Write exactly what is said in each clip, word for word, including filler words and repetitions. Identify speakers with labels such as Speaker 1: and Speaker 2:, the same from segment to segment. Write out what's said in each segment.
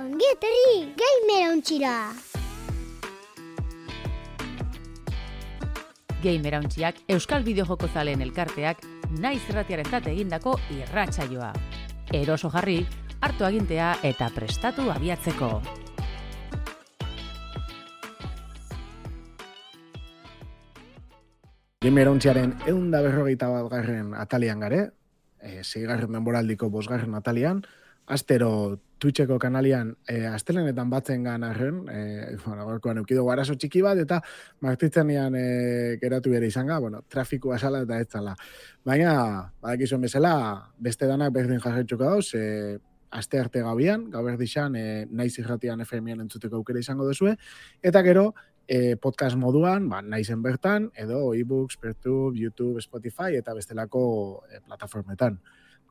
Speaker 1: Ongi etorri, gamer ontsira!
Speaker 2: Gamer Hauntziak Euskal Bideojoko zaleen elkarteak naiz irratiarentzat egindako irratsaioa. Eroso jarri, hartu agintea eta prestatu abiatzeko.
Speaker 3: Gamer Hauntziaren ehun eta berrogeita bat garren atalian gare, e, seigarren denboraldiko bosgarren atalian, astero Twitcheko kanalian e, astelenetan batzen gan arren, e, bueno, gorkoan eukido arazo txiki bat, eta martitzenean e, geratu bere izanga, bueno, trafikoa sala eta ez zala. Baina, badakizuen bezala, beste danak berdin jarretxuko dauz, e, aste arte gabian, gau berdixan, e, naiz irratian F M-an entzuteko aukera izango duzue, eta gero, e, podcast moduan, ba, naizen bertan, edo e-books, Pertube, YouTube, Spotify, eta bestelako e, plataformetan.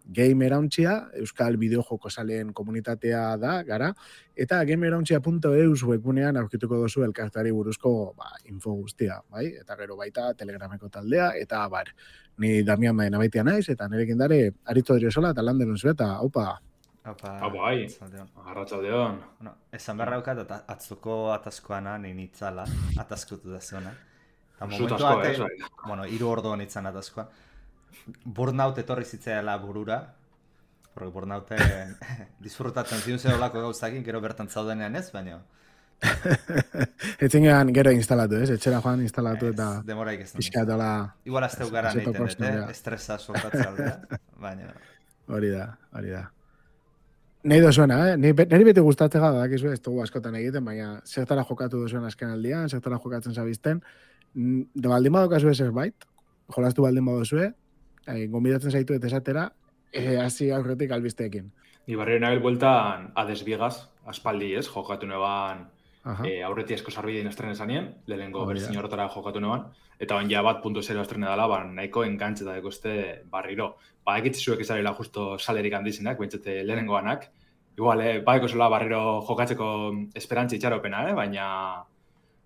Speaker 3: Gamer Hauntzia, Euskal Bideojoko zaleen komunitatea da, gara, eta gamer hauntzia punto e u webgunean aurkituko duzu elkartari buruzko ba, info guztia, bai? Eta gero baita Telegrameko taldea, eta bar, ni Damian Baena baitia naiz, eta nirekin dare Aritzo Driosola eta Landeron zu, eta haupa.
Speaker 4: Haupa,
Speaker 5: bai, arratsaldeon.
Speaker 4: Bueno, esan beharra daukat, at atzuko atazkoana nien itzala, atazkutu da zuena.
Speaker 5: Zut asko, ez, bai.
Speaker 4: Bueno, hiru ordu honitzen atazkoa. Burnout etorri zitzaela burura, porque burnouten disfrutatzen ziun zeholako gauzakin, gero bertan zaudenean ez, baina...
Speaker 3: Etzingean gero instalatu, ez? Etxera joan instalatu eta...
Speaker 4: Demoraik ez.
Speaker 3: Piskatola...
Speaker 4: Igual azteu gara neiten, dut, eh? Estresa soltatzea aldea, baina...
Speaker 3: Hori da, hori da. Nei dozuena, eh? Neri beti gustatzea da, dakizu, ez dugu askotan egiten, baina zertara jokatu duzuen azken aldian, zertara jokatzen zabizten, de baldin badokazue zerbait, jolastu baldin badozue, Eh, gombidatzen zaitu eta esatera, eh, hasi aurretik albisteekin.
Speaker 5: Ni barrio nabil bueltan Hades Biegas, aspaldi ez, jokatu neban eh, aurreti esko sarbideen estrene zanien, lehenengo berzin horretara jokatu neban, eta bain ja bat punto zero estrene dela, ba, nahiko enkantze da dekoste barriro. Ba, ekitzizuek ezarela justo salerik handizenak, bentsete lehenengoanak, igual, eh, badeko zola barriro jokatzeko esperantzi itxaropena, eh, baina,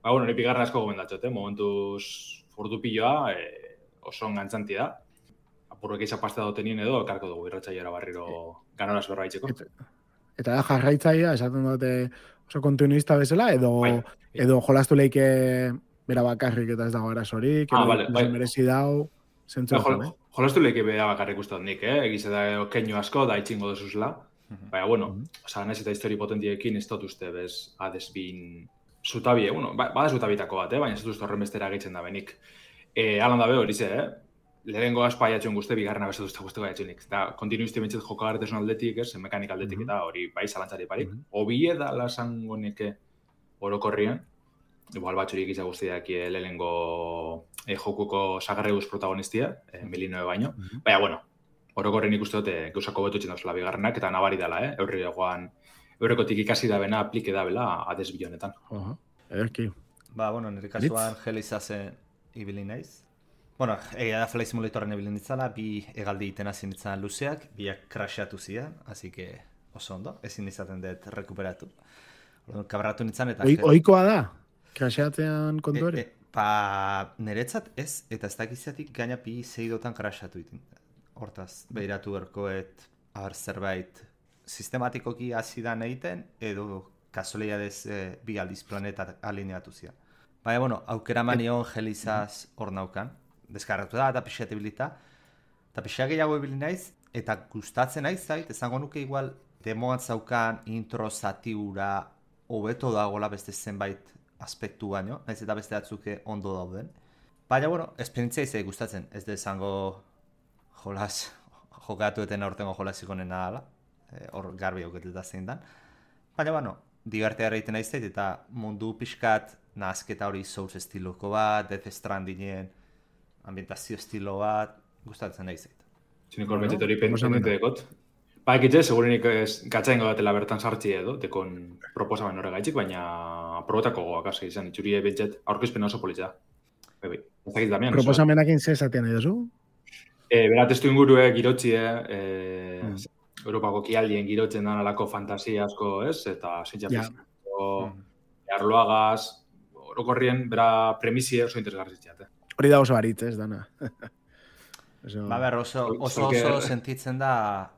Speaker 5: ba, bueno, ni bigarren asko gomendatxot, eh, momentuz ordu piloa, eh, oso engantzanti da. Apurrek izan pasta dotenien edo, karko dugu irratxaiara barriro ganoraz berbaitzeko.
Speaker 3: Eta, eta da jarraitzaia, esaten dute oso kontinuista bezala, edo, bai. edo jolastu leike bera bakarrik eta ez dago arazorik,
Speaker 5: ah,
Speaker 3: edo
Speaker 5: vale, bai.
Speaker 3: merezi dau, zentzu
Speaker 5: bai,
Speaker 3: eh?
Speaker 5: Jolastu leike bera bakarrik uste nik, eh? Egize da keinu asko, da itxingo duzuzela. Baina, bueno, mm -hmm. oza, nahiz eta histori potentiekin ez dut uste, bez, Hades bin zutabie, bueno, ba, bada zutabitako bat, eh? Baina ez dut uste horren bestera egitzen da benik. E, alan da be hori ze, eh? Lehenengo aspa jatxuen guzte, bigarrena bestatu uste guzteko jatxuenik. Eta kontinuizti bentsat jokagartesun aldetik, ez, mekanik aldetik, eta hori bai zalantzari parik. Mm -hmm. Obie da lasango neke orokorrien, igual batxurik izan guztiak lehenengo eh, jokuko sagarreguz protagonistia, eh, milinoe baino. Mm -hmm. Baina, bueno, orokorrien ikuste dute gauzako betu txen dauzela bigarrenak, eta nabari dela, eh? Eurri egoan, eurrekotik ikasi da bena, aplike da bela, Hades bilonetan.
Speaker 3: Uh -huh. Ederki.
Speaker 4: Ba, bueno, nire kasuan gelizazen ibili naiz. Bueno, egia da Flight Simulatorren ebilin ditzala, bi egaldi iten hasi nintzen luzeak, biak crashatu zidan, así que oso ondo, ezin izaten dut rekuperatu. Kabratu nintzen eta...
Speaker 3: Oi, oikoa da? Crashatean kontu ere?
Speaker 4: E, e, pa niretzat ez, eta ez dakizatik gaina bi zeidotan crashatu iten. Hortaz, behiratu berkoet, abar zerbait sistematikoki hasi da egiten, edo kasualiadez e, bi aldiz planetak alineatu zidan. Baina, bueno, aukera manion gelizaz hor naukan. Deskarratu da, eta pixeat ebilita. Eta pixeat gehiago ebilin naiz, eta gustatzen naiz zait, esango nuke igual demoan zaukan intro zatiura hobeto dagoela beste zenbait aspektu baino, naiz eta beste batzuke ondo dauden. Baina, bueno, esperientzia izai gustatzen, ez da esango jolas, jokatu eten aurtengo jolasiko nena dala, hor e, garbi auketuta zein dan. Baina, bueno, divertea egiten naiz zait, eta mundu pixkat nahazketa hori Souls estiloko bat, Death Strandingen ambientazio estilo bat, gustatzen nahi zait.
Speaker 5: Zinik horbetzit hori pentsamente dekot. Ba, ekitze, segurenik gatzaingo datela bertan sartzi edo, dekon proposamen horregaitzik, baina probotako goak hasi izan, itxurie bentzet aurkezpen oso politza. Bai, ez dakit Damian.
Speaker 3: Proposamenakin ze esaten nahi duzu?
Speaker 5: E, Bera, testu ingurue girotzie, e, mm. Europako kialdien girotzen dan alako fantasia asko, ez? Eta zintxa yeah. fiziko, mm. arloagaz, orokorrien, bera premisie oso interesgarritzat, eh?
Speaker 3: Hori da oso aritz, ez, dana.
Speaker 4: Eso... Ba, ber, oso, oso, oso sentitzen da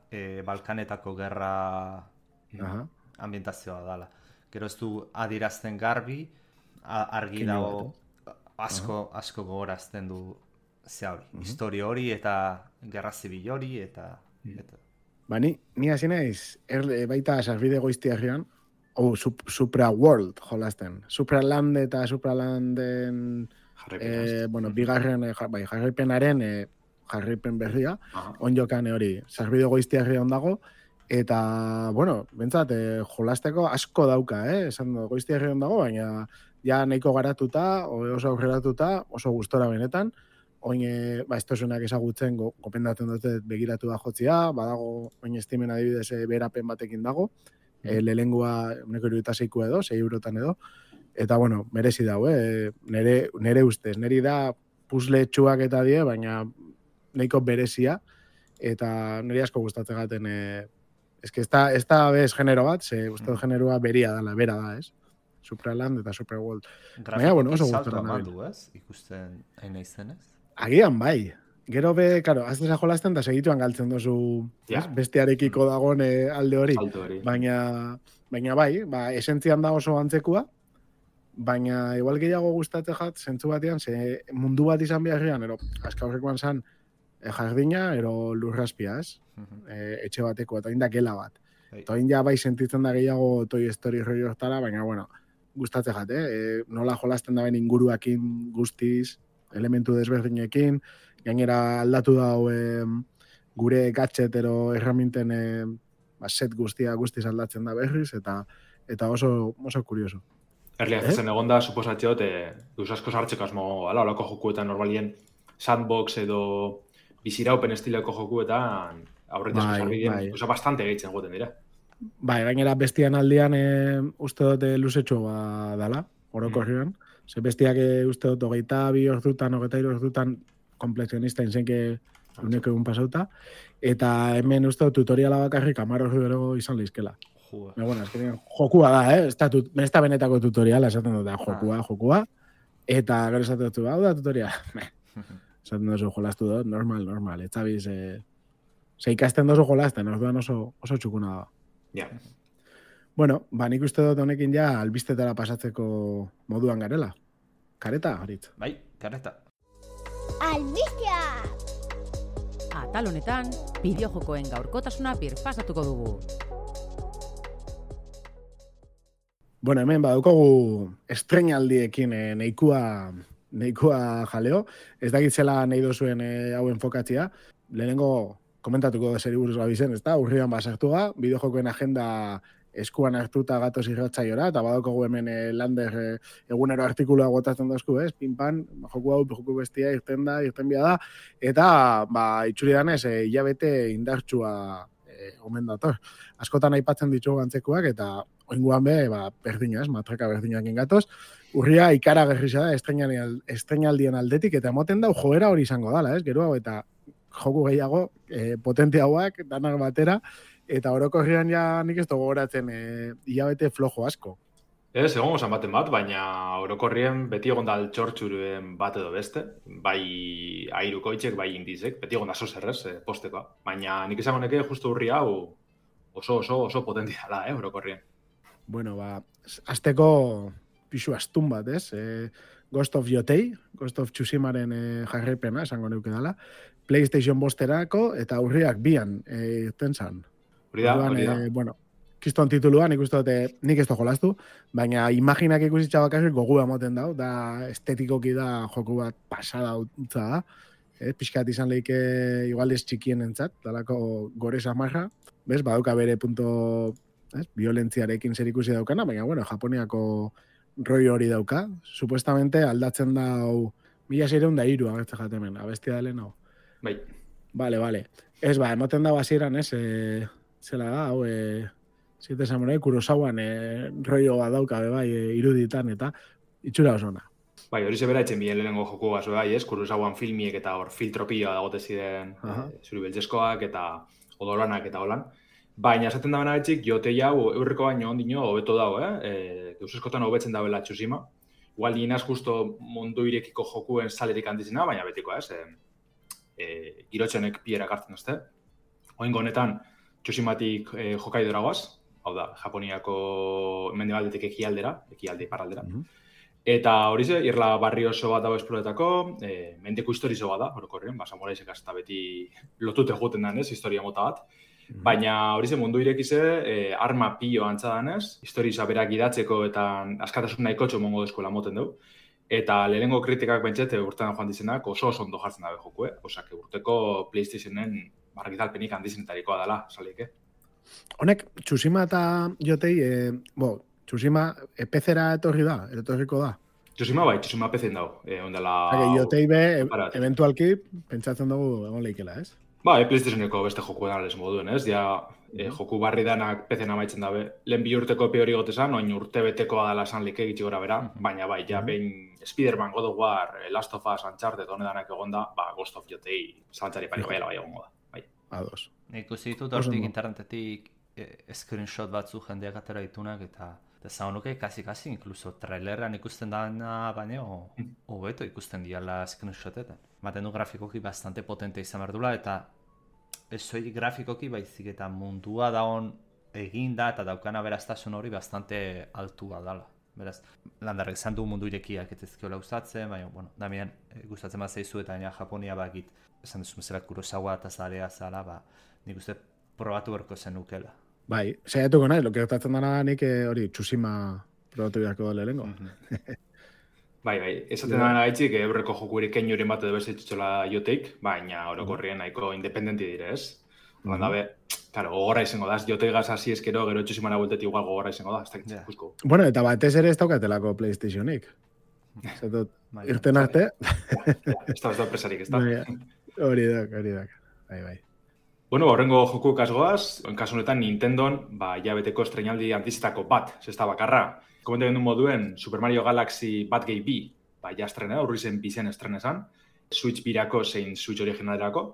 Speaker 4: eh, Balkanetako gerra
Speaker 3: Aha.
Speaker 4: ambientazioa dala. Gero ez du adirazten garbi, argi dago asko, asko gogorazten du ze hori, uh-huh. historia hori eta gerra zibil hori eta... eta.
Speaker 3: Ba, ni, ni hasi naiz, er, baita sarbide goiztiarrian, oh, sup, Supra World jolasten. Supraland eta Supralanden eh, bueno, bigarren eh, bai, jarraipenaren eh, jarraipen berria, uh-huh. onjokan hori, sarbide goiztiarrian dago, eta, bueno, bentsat, eh, jolasteko asko dauka, eh? Esan du, goiztiarrian dago, baina ja nahiko garatuta, oso aurreratuta, oso gustora benetan, oin, e, ba, estosunak ezagutzen go, gopendatzen dute begiratu da jotzia, badago, oin estimen adibidez e, berapen batekin dago, mm. e, lelengua uneko iruita zeikua edo, zei eurotan edo, eta, bueno, merezi dago, eh? nere, nere ustez, neri da puzle txuak eta die, baina nahiko berezia, eta niri asko gustatzen gaten, e, ez que ez da, ez da bez genero bat, ze uste mm. generoa beria dala, bera da, ez? Supraland eta Superworld. Baina, bueno, oso gustora nabil.
Speaker 4: Ez? Ikusten hain izenez?
Speaker 3: Agian, bai. Gero be, karo, azteza jolasten da segituan galtzen dozu ja. bestearekiko dagoen alde hori. hori. Baina, baina bai, ba, esentzian da oso antzekua, baina igual gehiago gustatzen jat, zentzu batean, ze mundu bat izan beharrean, ero, azka horrekoan zan, e, jardina, ero lurraspia, ez? Uh-huh. E, etxe bateko, eta inda gela bat. Hey. Eta ja bai sentitzen da gehiago Toy Story roi hortara, baina, bueno, gustatzen jat, eh? E, nola jolasten da ben inguruakin guztiz, elementu desberdinekin, gainera aldatu dau e, gure gadgetero erraminten e, ba, set guztia guztiz aldatzen da berriz, eta eta oso, oso kurioso.
Speaker 5: Erlia, eh? Zen egon da, suposatxeot, e, duz asko sartzeko asmo, ala, olako jokuetan normalien sandbox edo biziraupen estileko jokuetan aurretaz bai, sarbideen, bai. Osa bastante gehitzen goten dira.
Speaker 3: Bai, gainera bestian aldian e, uste dute luzetxo ba, dala, orokorrian. Mm. Ze bestiak e, uste dut hogeita bi ordutan, hogeita iru ordutan komplexionista inzenke uneko egun pasauta. Eta hemen uste dut tutoriala bakarrik amar ordu ero izan lehizkela. Baina, bueno, eskenean, jokua da, eh? Ez da, tut, ez da benetako tutoriala, esaten dut, jokua, ah. jokua. Eta gero esaten dut, hau da tutoriala. Esaten dut, jolastu dut, normal, normal. Ez zabiz, eh, ze ikasten dozu jolasten, orduan oso, oso txukuna da.
Speaker 5: Ja. Yeah.
Speaker 3: Bueno, ba, nik uste dut honekin ja albistetara pasatzeko moduan garela. Kareta, Haritz?
Speaker 4: Bai, kareta.
Speaker 1: Albistea!
Speaker 2: Atal honetan, bideojokoen gaurkotasuna birpasatuko dugu.
Speaker 3: Bueno, hemen badukogu estreinaldiekin eh, neikua, neikua jaleo. Ez dakitzela nahi dozuen eh, hau enfokatzia. Lehenengo komentatuko da zeri buruz gabizen, ez da? Urrian basartu ga, bideojokoen agenda eskuan hartuta gatoz irratzaiora, eta badaukagu hemen e, Lander e, egunero artikulua gotatzen dozku, ez? Pinpan, joku hau, joku bestia irten da, irten bia da, eta, ba, itxuri danez, e, hilabete indartsua e, omen dator. Askotan aipatzen ditugu antzekuak, eta oinguan be, ba, berdina, ez? Matraka berdinak ingatoz. Urria ikara gerrisa da, estreinaldien aldetik, eta emoten dau joera hori izango dala, ez? Gero hau, eta joku gehiago, e, potente hauak, danak batera, eta orokorrian ja nik ez dugu goratzen e, hilabete flojo asko.
Speaker 5: Ez, egon gozan baten bat, baina orokorrien beti egon da altxortxuruen bat edo beste, bai airukoitzek, bai indizek, beti egon da zozerrez e, postekoa. Baina nik esango neke justu urri hau oso, oso, oso potentia da, eh, orokorrien.
Speaker 3: Bueno, ba, azteko pixu astun bat, ez? E, Ghost of Yotei, Ghost of Tsushimaren e, jarraipena, esango neuke dala, PlayStation bosterako eta urriak bian e, irten zan.
Speaker 5: Hori da, hori da.
Speaker 3: Eh, bueno, kiston tituluan ikusten dute nik ez da jolastu, baina imaginak ikusitza bakarrik gogu emoten dau, da estetikoki da joku bat pasada utza da. Eh, pixkat izan lehike igualdez txikien entzat, dalako gore samarra. Bez, badauka bere punto ez, violentziarekin zer ikusi daukana, baina bueno, Japoniako roi hori dauka. Supuestamente aldatzen dau mila zeireun da iru agertze jatemen, abestia da lehen hau.
Speaker 5: Bai.
Speaker 3: Vale, vale. Ez ba, emoten da basieran, ez, eh, zela da, hau, e, Siete Samurai, Kurosawan e, roioa dauka, bai, e, iruditan, eta itxura osona.
Speaker 5: Bai, hori zebera etxen bilen lehenengo joku gazo, bai, ez? Kurosawan filmiek eta hor filtropioa dagote ziren e, zuri beltzeskoak eta odolanak eta holan. Baina esaten da benabetxik, Yotei hau eurreko baino ondino hobeto dago, eh? E, Deus eskotan hobetzen dabela Tsushima. Igual dinaz justo mundu irekiko jokuen salerik handizena, baina betiko, ez? E, e, girotxenek pierak hartzen duzte. Oingo honetan, Tsushimatik eh, Hokkaido goaz, hau da, Japoniako mendebaldetik ekialdera, ekialde iparraldera. Mm-hmm. Eta hori ze, irla barri oso bat dago esploretako, e, mendeko historizo bat da, orokorren, ba, samuraisek hasta beti lotute joten den, ez, historia mota bat. Mm-hmm. Baina hori ze mundu irekize, e, arma pilo antza danez, historiza berak idatzeko eta askatasun nahikotxo mongo deskola moten dugu. Eta lehenengo kritikak bentsete urtean joan dizenak oso oso ondo jartzen dabe joku, eh? Osak, urteko PlayStationen bargitalpenik handizenetarikoa dela, salik, eh?
Speaker 3: Honek, Tsushima eta Jotei, e, bo, Tsushima e, P C-era etorri da, etorriko da?
Speaker 5: Tsushima bai, Tsushima P C-en dago. E, ondela...
Speaker 3: Hake, Jotei be, e, eventualki, pentsatzen dugu egon lehikela, ez?
Speaker 5: Ba, e, PlayStationeko beste joku edales moduen, ez? Ja, e, joku barri danak P C-en amaitzen dabe. Lehen bi urteko epe hori gotezan, oin urte betekoa dela esan like gitxi gora bera, baina bai, ja, behin Spider-Man, God of War, Last of Us, Uncharted, honedanak egonda, ba, Ghost of Jotei zalantzari pariko bai egongo da. Bai.
Speaker 3: Ados.
Speaker 6: Nik uste ditut hortik internetetik eh, screenshot batzu jendeak atera ditunak eta eta zaunuke kasi-kasi, inkluso traileran ikusten dana, baina hobeto ikusten diala screenshotetan. Maten du grafikoki bastante potente izan behar dula, eta ez soilik grafikoki baizik eta mundua daon eginda eta daukana beraztasun hori bastante altua dala. Beraz, landarrek zan du mundu irekiak ez ezkiola gustatzen, baina, bueno, Damian, gustatzen bat zeizu eta baina Japonia bakit, esan duzu mesela Kurosawa eta zarea zala, ba, nik uste probatu berko zenukela.
Speaker 3: Bai, saiatuko nahi, lo gertatzen dana nik hori Tsushima probatu beharko lehenengo.
Speaker 5: Mm-hmm. bai, bai, esaten dana gaitzik, eurreko joku erikein joren bat edo bezaitutxola Joteik, baina orokorrien nahiko independenti dire, ez? Mm-hmm. Bandabe, claro, gogorra izango da, Joteigaz hasi eskero, gero Tsushimara bueltetik igual gogorra izango da, ez dakit yeah. Kusko.
Speaker 3: Bueno, eta batez ere ez daukatelako PlayStationik. Zetot, irten arte.
Speaker 5: Ez da, ez da presarik, ez da.
Speaker 3: Hori da, hori da. Bai, bai.
Speaker 5: Bueno, horrengo joku kasgoaz, en kasu honetan Nintendon, ba, jabeteko estrenaldi antizitako bat, zesta bakarra. Komentu gendu moduen, Super Mario Galaxy Batgate B, ba, ja estrena, urri zen bizen estrenezan, Switch birako zein Switch originalerako.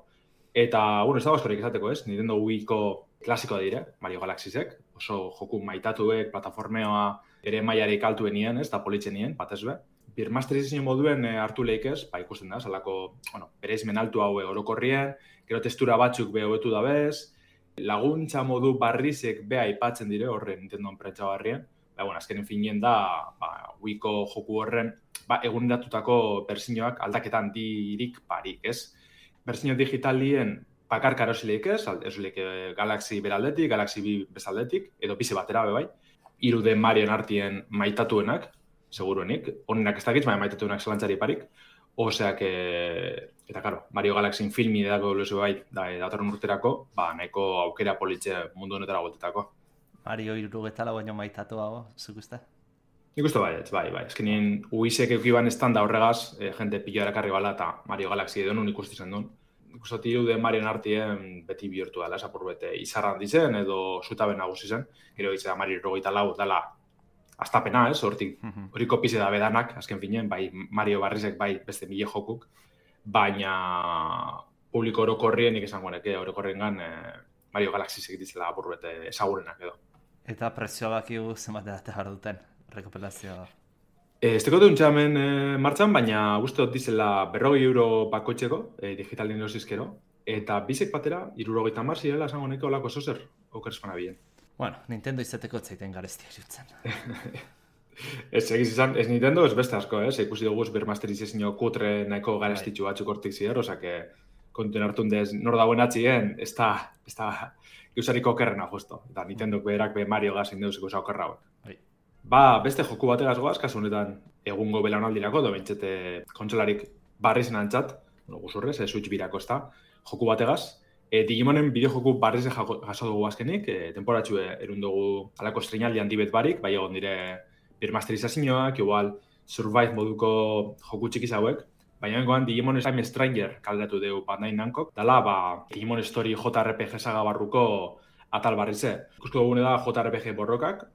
Speaker 5: Eta, bueno, ez dago askorik esateko, ez? Nintendo Wii-ko klasikoa dire, Mario Galaxy-zek, oso joku maitatuek, plataformeoa, ere maiarik altuenien, ez, da politzen nien, batez be. Birmasterizazio moduen e, hartu lehik ez, ba, ikusten da, salako, bueno, bereizmen altu hau orokorrien, gero testura batzuk be hobetu da bez, laguntza modu barrizek be aipatzen dire horren Nintendo prentsa barrien, ba, bueno, azkenen finien da, ba, Wii-ko joku horren, ba, eguneratutako berzinoak aldaketan dirik parik, ez? Berzino digitalien bakarka erosileik ez, erosileik Galaxy beraldetik, Galaxy B bezaldetik, edo bize batera be bai, hiru den Marion artien maitatuenak, seguruenik, honenak ez dakitz, baina maitatuenak zelantzari parik, oseak, e, eta karo, Mario Galaxy filmi edako luzu bai, da, datorren urterako, ba, nahiko aukera politxe mundu honetara voltetako.
Speaker 6: Mario irurogeta lau baino maitatu hau, zuk uste?
Speaker 5: Nik uste bai, ez, bai, bai. Ez kenien uizek eukiban estanda horregaz, e, jente pilo erakarri bala eta Mario Galaxy edo nun ikusti zen duen. Nik uste tiru den Marion artien beti bihurtu dela, esapur bete izarran dizen edo zutaben nagusi zen. Gero izan Mario irurogeta lau dela astapena, ez, hortik, hori kopize da bedanak, azken finen, bai Mario Barrizek, bai beste mile jokuk, baina publiko orokorrien nik esan guaneke, orokorrien gan e, Mario Galaxy segitizela apurbete esagurenak edo.
Speaker 6: Eta prezioa bakigu zenbat edate behar duten, rekopilazioa?
Speaker 5: Ez teko dut hemen e, martxan, baina uste dut dizela berrogei euro bakoitzeko, e, digitalien erosizkero, eta bizek batera, irurogeita mar zirela esan guaneke olako zozer, okerzpana bien.
Speaker 6: Bueno, Nintendo izeteko zaiten garestia jutzen.
Speaker 5: Ez egiz izan, ez Nintendo ez beste asko, ez? Ikusi dugu bermasterizazio kutre nahiko garestitxu batzuk hortik zider, osake kontuen hartun dez nor dagoen atxien, ez da, ez da, geusariko okerrena justo. Eta Nintendo berak be Mario gazin deuz ikusa okerra hauek. Ba, beste joku bategaz goaz, kasu honetan egungo belaunaldirako, do bentsete kontsolarik barri zen antzat, no, guzurrez, e, Switch birako ez da, joku bategaz. E, Digimonen bideojoku barrize jaso dugu azkenik, e, temporatxu erun dugu alako estrenaldi handibet barik, bai egon dire birmasterizazioak, igual Survive moduko joku txikiz hauek, baina bengoan Digimon Time Stranger kaldatu dugu Bandai Namcok, dala, ba, Digimon Story J R P G saga barruko atal barrize. Ikusko dugune da J R P G borrokak,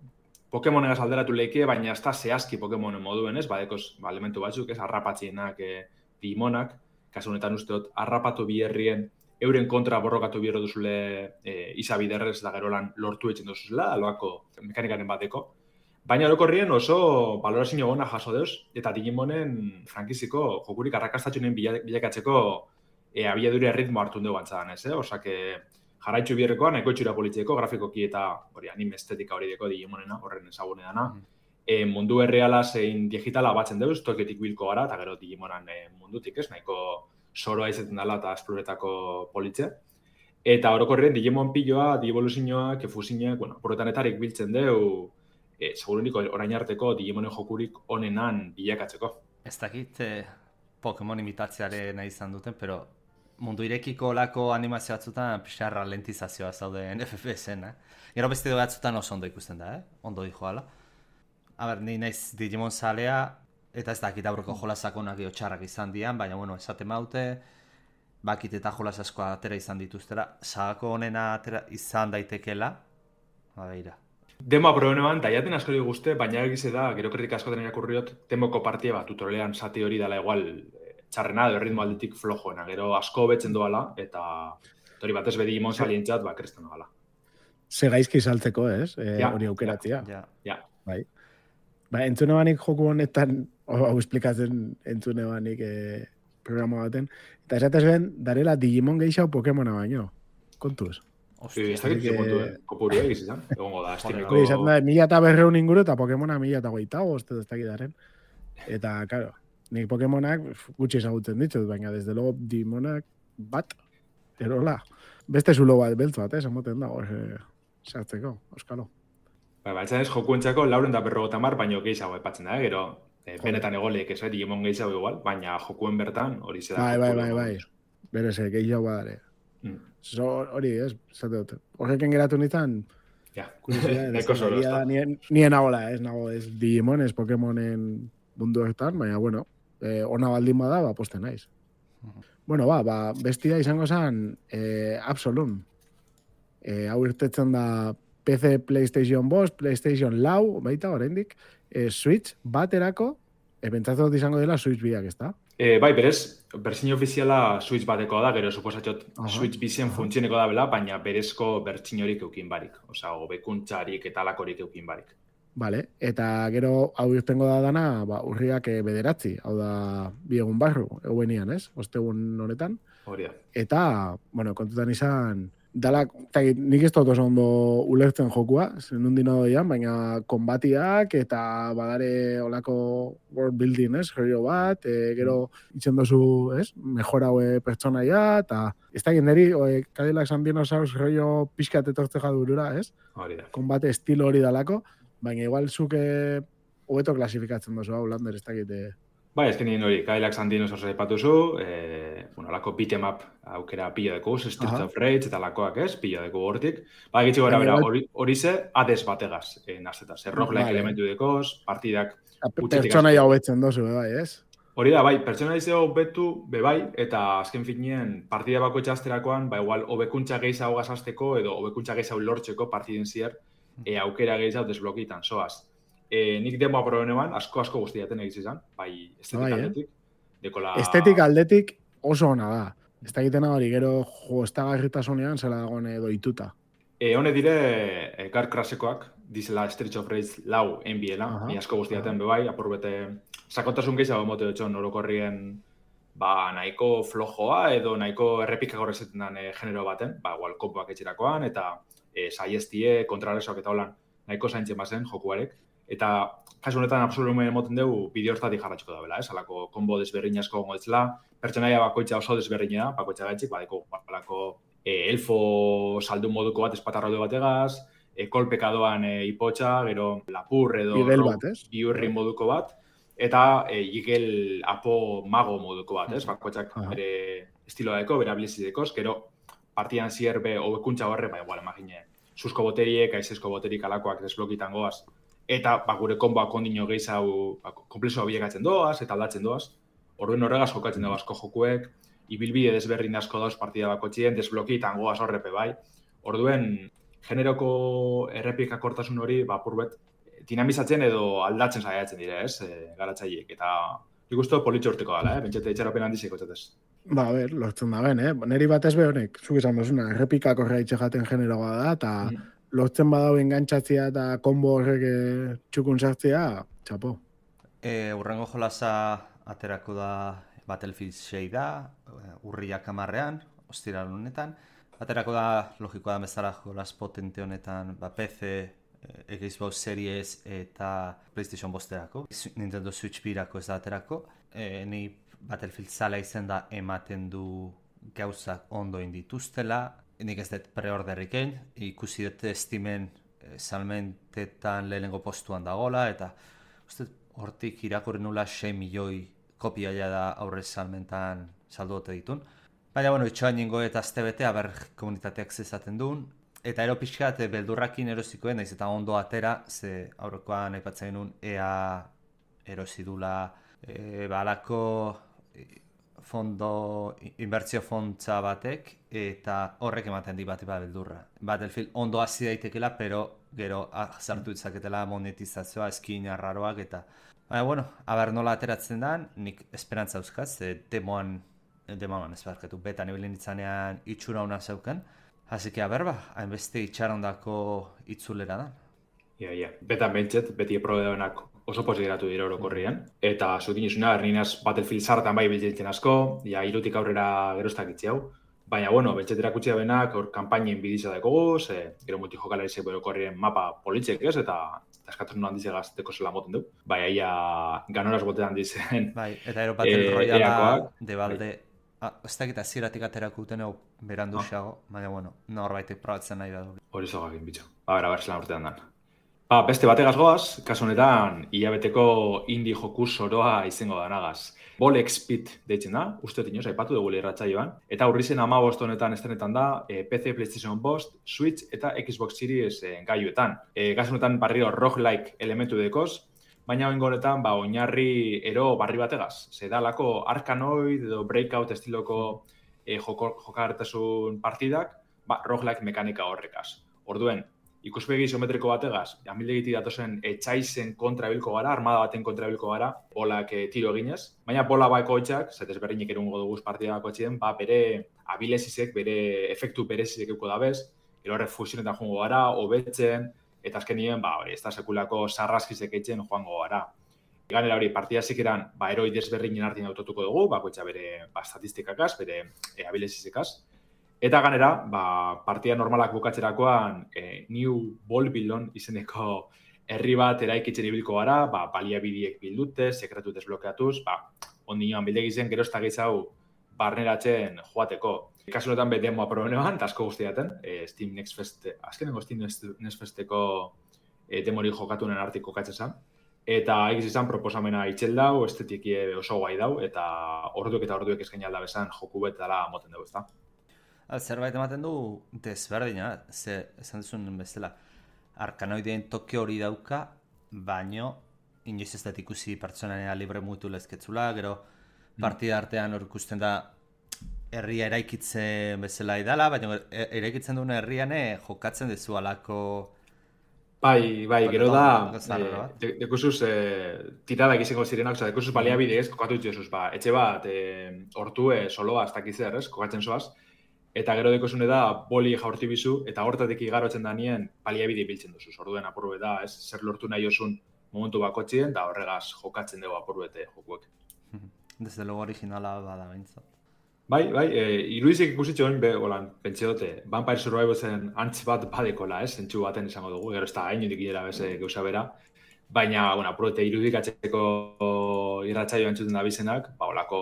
Speaker 5: Pokemonegaz alderatu leike, baina ez da zehazki Pokemonen moduen, ez? Badekoz, ba, elementu batzuk, ez? Arrapatzienak, e, Digimonak, kasu honetan usteot, arrapatu biherrien euren kontra borrokatu bihero duzule e, izabiderrez da gerolan lortu etxen duzuzela, aloako mekanikaren bateko. Baina orokorrien oso balorazio gona jaso deuz, eta Digimonen frankiziko jokurik arrakastatxunen bilakatzeko e, abiadure ritmo hartu dugu antzadan, ez, eh? Osake, jarraitzu bierrekoa, nahiko itxura politzeko, grafikoki eta hori anime estetika hori deko Digimonena, horren ezagune dana. Mm. E, mundu erreala zein digitala batzen deuz, toketik bilko gara, eta gero Digimonan e, mundutik ez, nahiko soroa izaten dela eta esploretako politze. Eta orokorren Digimon piloa, Digivoluzioak, efusinak, bueno, porretanetarik biltzen deu, e, segurunik orain arteko Digimonen jokurik onenan bilakatzeko.
Speaker 6: Ez dakit eh, Pokemon imitatzearen izan duten, pero mundu irekiko lako animazio batzutan pixar ralentizazioa zauden F P S-en, eh? Gero beste batzutan oso ondo ikusten da, eh? Ondo dijo ala. A ber, ni naiz Digimon zalea, eta ez dakit aurreko jolasakonak geho txarrak izan dian, baina, bueno, esate maute, bakit eta jolas asko atera izan dituztera, sagako honena atera izan daitekela, babeira.
Speaker 5: Demoa probenean, daiaten askori guzte, baina egize da, gero kritika askoten irakurriot, demoko partia bat, tutorialean zati hori dela igual txarrena, edo ritmo aldetik flojoena, gero asko betzen doala, eta hori batez be Digimon salientzat, ba, kresten doala.
Speaker 3: Ze gaizki saltzeko, ez? E,
Speaker 5: ja,
Speaker 3: hori aukeratzea.
Speaker 5: Ja, ja.
Speaker 3: Bai. Ba, entzune banik joku honetan, hau esplikatzen entzune banik e, programa baten, eta esatez ben, darela Digimon gehiago Pokemona baino. Kontuz.
Speaker 5: Ostia, ez dakit kontu, eh? Kopuru egiz izan. Egongo da, estimeko...
Speaker 3: Hori, izan da, mila eta berreun inguru eta Pokemona mila eta goitago, ez ez dakit daren. Eta, karo, nik Pokemonak gutxi ezagutzen ditut, baina desde logo Digimonak bat, erola. Beste zulo bat, beltz bat, eh, zamoten da, hor, sartzeko, euskalo.
Speaker 5: Ba, ba, ez jokuentzako lauren da berrogota mar, baina gehiago epatzen da, eh? Gero, eh, benetan egoleek ez, eh? Digimon gehiago igual, baina jokuen bertan hori zeda.
Speaker 3: Bai, bai, bai, bai, berez, gehiago badare.
Speaker 5: Mm.
Speaker 3: So, hori, ez, zate dut. Horrekin geratu nintzen,
Speaker 5: ja,
Speaker 3: neko solo, ez da. Nien, nien nagola, ez nago, ez Digimon, ez Pokemonen mundu hortan, baina, bueno, eh, ona baldin bada, ba, posten naiz. Uh-huh. Bueno, ba, ba, bestia izango zen, eh, Absolum. Eh, hau irtetzen da P C, PlayStation bost, PlayStation lau, baita, oraindik, eh, Switch baterako, eh, pentsatzen izango dela Switch biak, ez da?
Speaker 5: E, bai, berez, bertsio ofiziala Switch batekoa da, gero suposatxot Switch bizien funtzioneko da bela, baina berezko bertsio horik eukin barik. Osa, hobekuntzarik eta alakorik eukin barik.
Speaker 3: Vale, eta gero hau irtengo da dana, ba, urriak bederatzi, hau da bi egun barru, eguenian, ez? Ostegun honetan.
Speaker 5: Hori da.
Speaker 3: Eta, bueno, kontutan izan, dala, tagit, nik ez dut oso ondo ulertzen jokua, zenun dino doian, baina konbatiak eta badare olako world building, ez, gerio bat, e, gero itzen dozu, ez, mejora hoe pertsonaia, eta ez da genderi, oe, Cadillac San Dinosaurus gerio pixkat etortze jadurura, ez?
Speaker 5: Hori da.
Speaker 3: Konbate estilo hori dalako, baina igual zuke hobeto klasifikatzen dozu, hau, Lander, ez dakit.
Speaker 5: Bai, ez genien hori, Cadillac San Dinosaurus aipatuzu, eh, bueno, lako beat'em up aukera pila deko, Streets of Rage eta lakoak ez, pila deko hortik. Ba, egitxe gara bera, hori, hori ze, Hades bategaz, eh, naztetaz, errok-like vale. Elementu dekoz, partidak...
Speaker 3: Pertsonaia hobetzen dozu, bai, ez?
Speaker 5: Hori da, bai, pertsonaia hobetu, bebai, eta azken finien, partida bako itxasterakoan, ba, igual, hobekuntza gehiago gazazteko, edo hobekuntza gehiago lortzeko partiden zier, e, aukera gehiago desblokitan, soaz. E, nik demoa probenean, asko-asko guztiaten egiz izan, bai estetik bai, aldetik. Eh? Dekola... Estetik
Speaker 3: aldetik oso ona da. Ez da egiten hori, gero jo, ez da garritasunean zela dagoen doituta.
Speaker 5: E, hone dire, e, Car Crashekoak, dizela Streets of Rage lau enbiela, ni asko guztiaten bebai, apurbete, sakotasun gehiago mote dutxon orokorrien, ba, nahiko flojoa edo nahiko errepika gorrezeten den e, genero baten, ba, igual, kompoak etxerakoan, eta e, saiestie, kontraresoak eta holan, nahiko zaintzen bazen jokuarek. Eta kasu honetan absolumen emoten dugu bideo hortatik jarratxiko da bela, ez? Alako kombo desberdin asko gongo etzela, pertsonaia bakoitza oso desberdina da, bakoitza gaitxik, badeko alako e, elfo saldu moduko bat espatarraude bategaz, e, kolpeka doan e, ipotxa, gero lapur edo biurri moduko bat, eta e, igel apo mago moduko bat, ez? Bakoitzak bere estiloa deko, bere abilizidekoz, gero partian zierbe hobekuntza horre, ba, igual, imagine, susko boteriek, aizezko boterik alakoak desblokitan goaz, eta ba, gure konboak ondino gehiago ba, komplexoa bilekatzen doaz, eta aldatzen doaz. Orduen horregaz jokatzen dago asko jokuek, ibilbide desberdin asko dauz partida bako txien, desblokitan goaz horrepe bai. Orduen, generoko errepikakortasun hori, ba, purbet, dinamizatzen edo aldatzen saiatzen dire, ez, e, garatzaileek. Eta ikustu politxo urteko dela, eh? Bentsete etxerapen handizeko txatez.
Speaker 3: Ba, a ber, lortzen da ben, eh? Neri batez be honek, zuk izan dozuna, errepikakorra itxegaten generoa da, eta... Mm. Lortzen badau engantzatzea eta konbo horrek txukun sartzea, txapo.
Speaker 6: E, urrengo jolasa aterako da Battlefield sei da, urriak amarrean, ostiral honetan. aterako da, logikoa da bezala jolas potente honetan, ba, P C, Xbox Series eta PlayStation bosterako. Nintendo Switch birako ez da aterako. E, ni Battlefield zala izen da ematen du gauzak ondo indituztela. Nik ez dut preorderrik egin, ikusi dut Steamen e, salmentetan lehenengo postuan dagola, eta uste hortik irakurri nula sei milioi kopia da aurrez salmentan saldu ote ditun. Baina, bueno, itxoan ningo eta azte bete, aber komunitateak zezaten duen. Eta ero pixkat, beldurrakin erosikoen, naiz eta ondo atera, ze aurrekoan aipatzen genuen ea erosidula e, balako fondo, inbertsio fontza batek, eta horrek ematen di bat bat beldurra. Battlefield ondo hasi daitekela, pero gero zartu ditzaketela monetizazioa, eskin arraroak, eta baina, bueno, aber nola ateratzen dan, nik esperantza euskaz, e, demoan, demoan ez barkatu, betan ibilin itzanean itxura hona zeuken, hasi que, aber ba, hainbeste itxarondako itzulera da.
Speaker 5: Ia, ia, betan bentset, beti eprobedoenak oso posigeratu dira orokorrian, eta zutin izuna, erninaz Battlefield zartan bai biltzen asko, ja, irutik aurrera geroztak itzi hau, baina, bueno, bentset erakutsi da benak, hor kampainen biditza dakogu, ze, gero multijokalarize orokorrien mapa politzek ez, eta eskatzen handiz egazteko zela moten du. Bai, aia ganoraz botean dizen.
Speaker 6: Bai, eta ero Battle e, Royala de balde, ah, ez dakit aziratik aterako duten hau berandu xago, ah. Baina, bueno, norbaitek probatzen nahi da. Hori
Speaker 5: zogakin, bitxo. A ber, a ber, zelan urtean dan. Ba, beste bategaz goaz, kasu honetan, hilabeteko indie joku soroa izango danagaz. Bolex Speed deitzen da, uste tinoz, aipatu dugu irratsaioan, eta aurri zen hamabost honetan estrenetan da, e, P C, PlayStation bost, Switch eta Xbox Series e, gaiuetan. E, kasu honetan barrio roguelike elementu dekoz, baina oingo honetan ba, oinarri ero barri bategaz. Zedalako Arkanoid edo Breakout estiloko e, joko, jokagartasun partidak, ba, roguelike mekanika horrekaz. Orduen, ikuspegi isometriko bategaz, amildegiti datozen etxaizen kontrabilko gara, armada baten kontrabilko gara, bolak e, tiro eginez. Baina bola bakoitzak, zetez berrinik erungo duguz partida bakoitzien, ba, bere abilezizek, bere efektu berezizek euko dabez, gero horre fusionetan joango gara, hobetzen, eta azkenien, ba, hori, ez da sekulako sarraskizek eitzen joango gara. Ganera hori, partida zikeran, ba, eroi desberrinen artin autotuko dugu, bakoitza bere ba, statistikakaz, bere e, abilezizekaz. Eta ganera, ba, partida normalak bukatzerakoan e, New Bolbillon izeneko herri bat eraikitzen ibilko gara, ba, baliabideek bildute, sekretu desblokeatuz, ba, ondinoan bildegizen gero ez da gehizau barneratzen joateko. Kasu honetan be demoa probenean, eta asko guztiaten, e, Steam Next Fest, azkenengo Steam Next Festeko e, demori jokatunen artik kokatzen zen. Eta egiz izan proposamena itxel dau, estetiki oso guai dau, eta orduek eta orduek esken alda bezan joku bet dela moten dugu, ezta?
Speaker 6: Zerbait ematen du desberdina, ze esan duzun bezala, Arkanoideen toke hori dauka, baino inoiz ez dut ikusi pertsonanea libre mutu lezketzula, gero partida artean hor ikusten da herria eraikitzen bezala idala, baina eraikitzen duen herrian jokatzen dezu alako...
Speaker 5: Bai, bai, gero da, eh, dekusuz eh, tiradak izango zirenak, oza, dekusuz baliabide ez, kokatu dituzuz, ba, etxe bat, eh, hortue, soloa, ez dakizzer, ez, kokatzen zoaz, eta gero dekusune da, boli jaurti bizu, eta hortatik igarotzen da nien, baliabide biltzen duzuz, orduen apurbe da, ez, zer lortu nahi osun momentu bakotxien, da horregaz jokatzen dugu apurbete jokuek.
Speaker 6: Desde logo originala bada bintzat.
Speaker 5: Bai, bai, e, irudizik ikusitxo hori, be, holan, pentsi dute, Vampire Survivorsen antz bat badekola, ez, zentsu baten izango dugu, gero ez da, hain judik idera beze gauza bera, baina, bueno, apurete irudikatzeko irratsaio entzuten da bizenak, ba, holako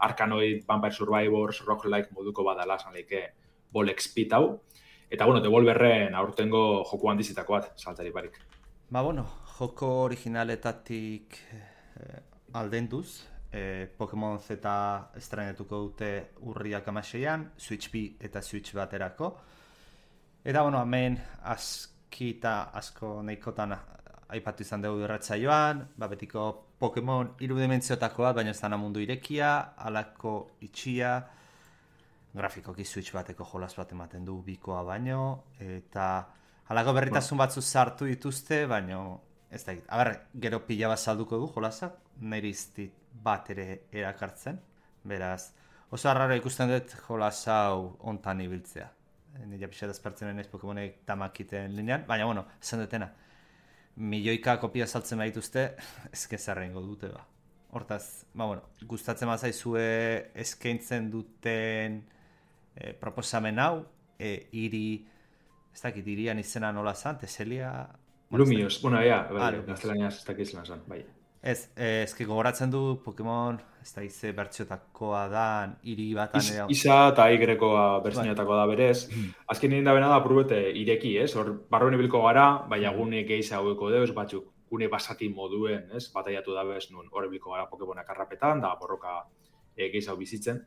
Speaker 5: Arkanoid, Vampire Survivors, roguelike moduko badala, esan leike Bolex Speed hau, eta, bueno, Devolverren aurtengo joku handizitako bat, saltari barik.
Speaker 6: Ba, bueno, joko originaletatik eh, aldenduz, Eh, Pokemon Z estrenetuko dute urriak amaseian, Switch B eta Switch baterako. Eta, bueno, hemen askita asko nahikotan aipatu izan dugu irratsaioan, ba, betiko Pokemon irudimentziotako bat, baina ez dana mundu irekia, alako itxia, grafikoki Switch bateko jolas bat ematen du bikoa baino, eta alako berritasun batzu sartu dituzte, baino ez da, aber, gero pila bat salduko du jolasa, nire iztit bat ere erakartzen, beraz, oso arraro ikusten dut jolas hau ontan ibiltzea. Nire pixat ezpertzen naiz Pokemonek tamakiten linean, baina, bueno, esan dutena, milioika kopia saltzen behituzte, ezkezarra ingo dute, ba. Hortaz, ba, bueno, gustatzen bazaizue eskaintzen duten e, proposamen hau, e, iri, ez dakit, irian izena nola zan, Teselia...
Speaker 5: Lumios, bueno, ea, bai,
Speaker 6: ah,
Speaker 5: gaztelaniaz ez dakit izena zan, bai.
Speaker 6: Ez, ez ki gogoratzen du Pokemon, ez da ize bertxotakoa da, iri batan...
Speaker 5: Is, isa eta aigerekoa bertzinetakoa da berez. Azken nien da bena da probete ireki, ez? Hor, barroen ibilko gara, baina gune gehiza haueko deuz, batzuk gune basati moduen, ez? Bataiatu da bez, nun hor ibilko gara Pokemonak arrapetan, da borroka e, gehiza bizitzen.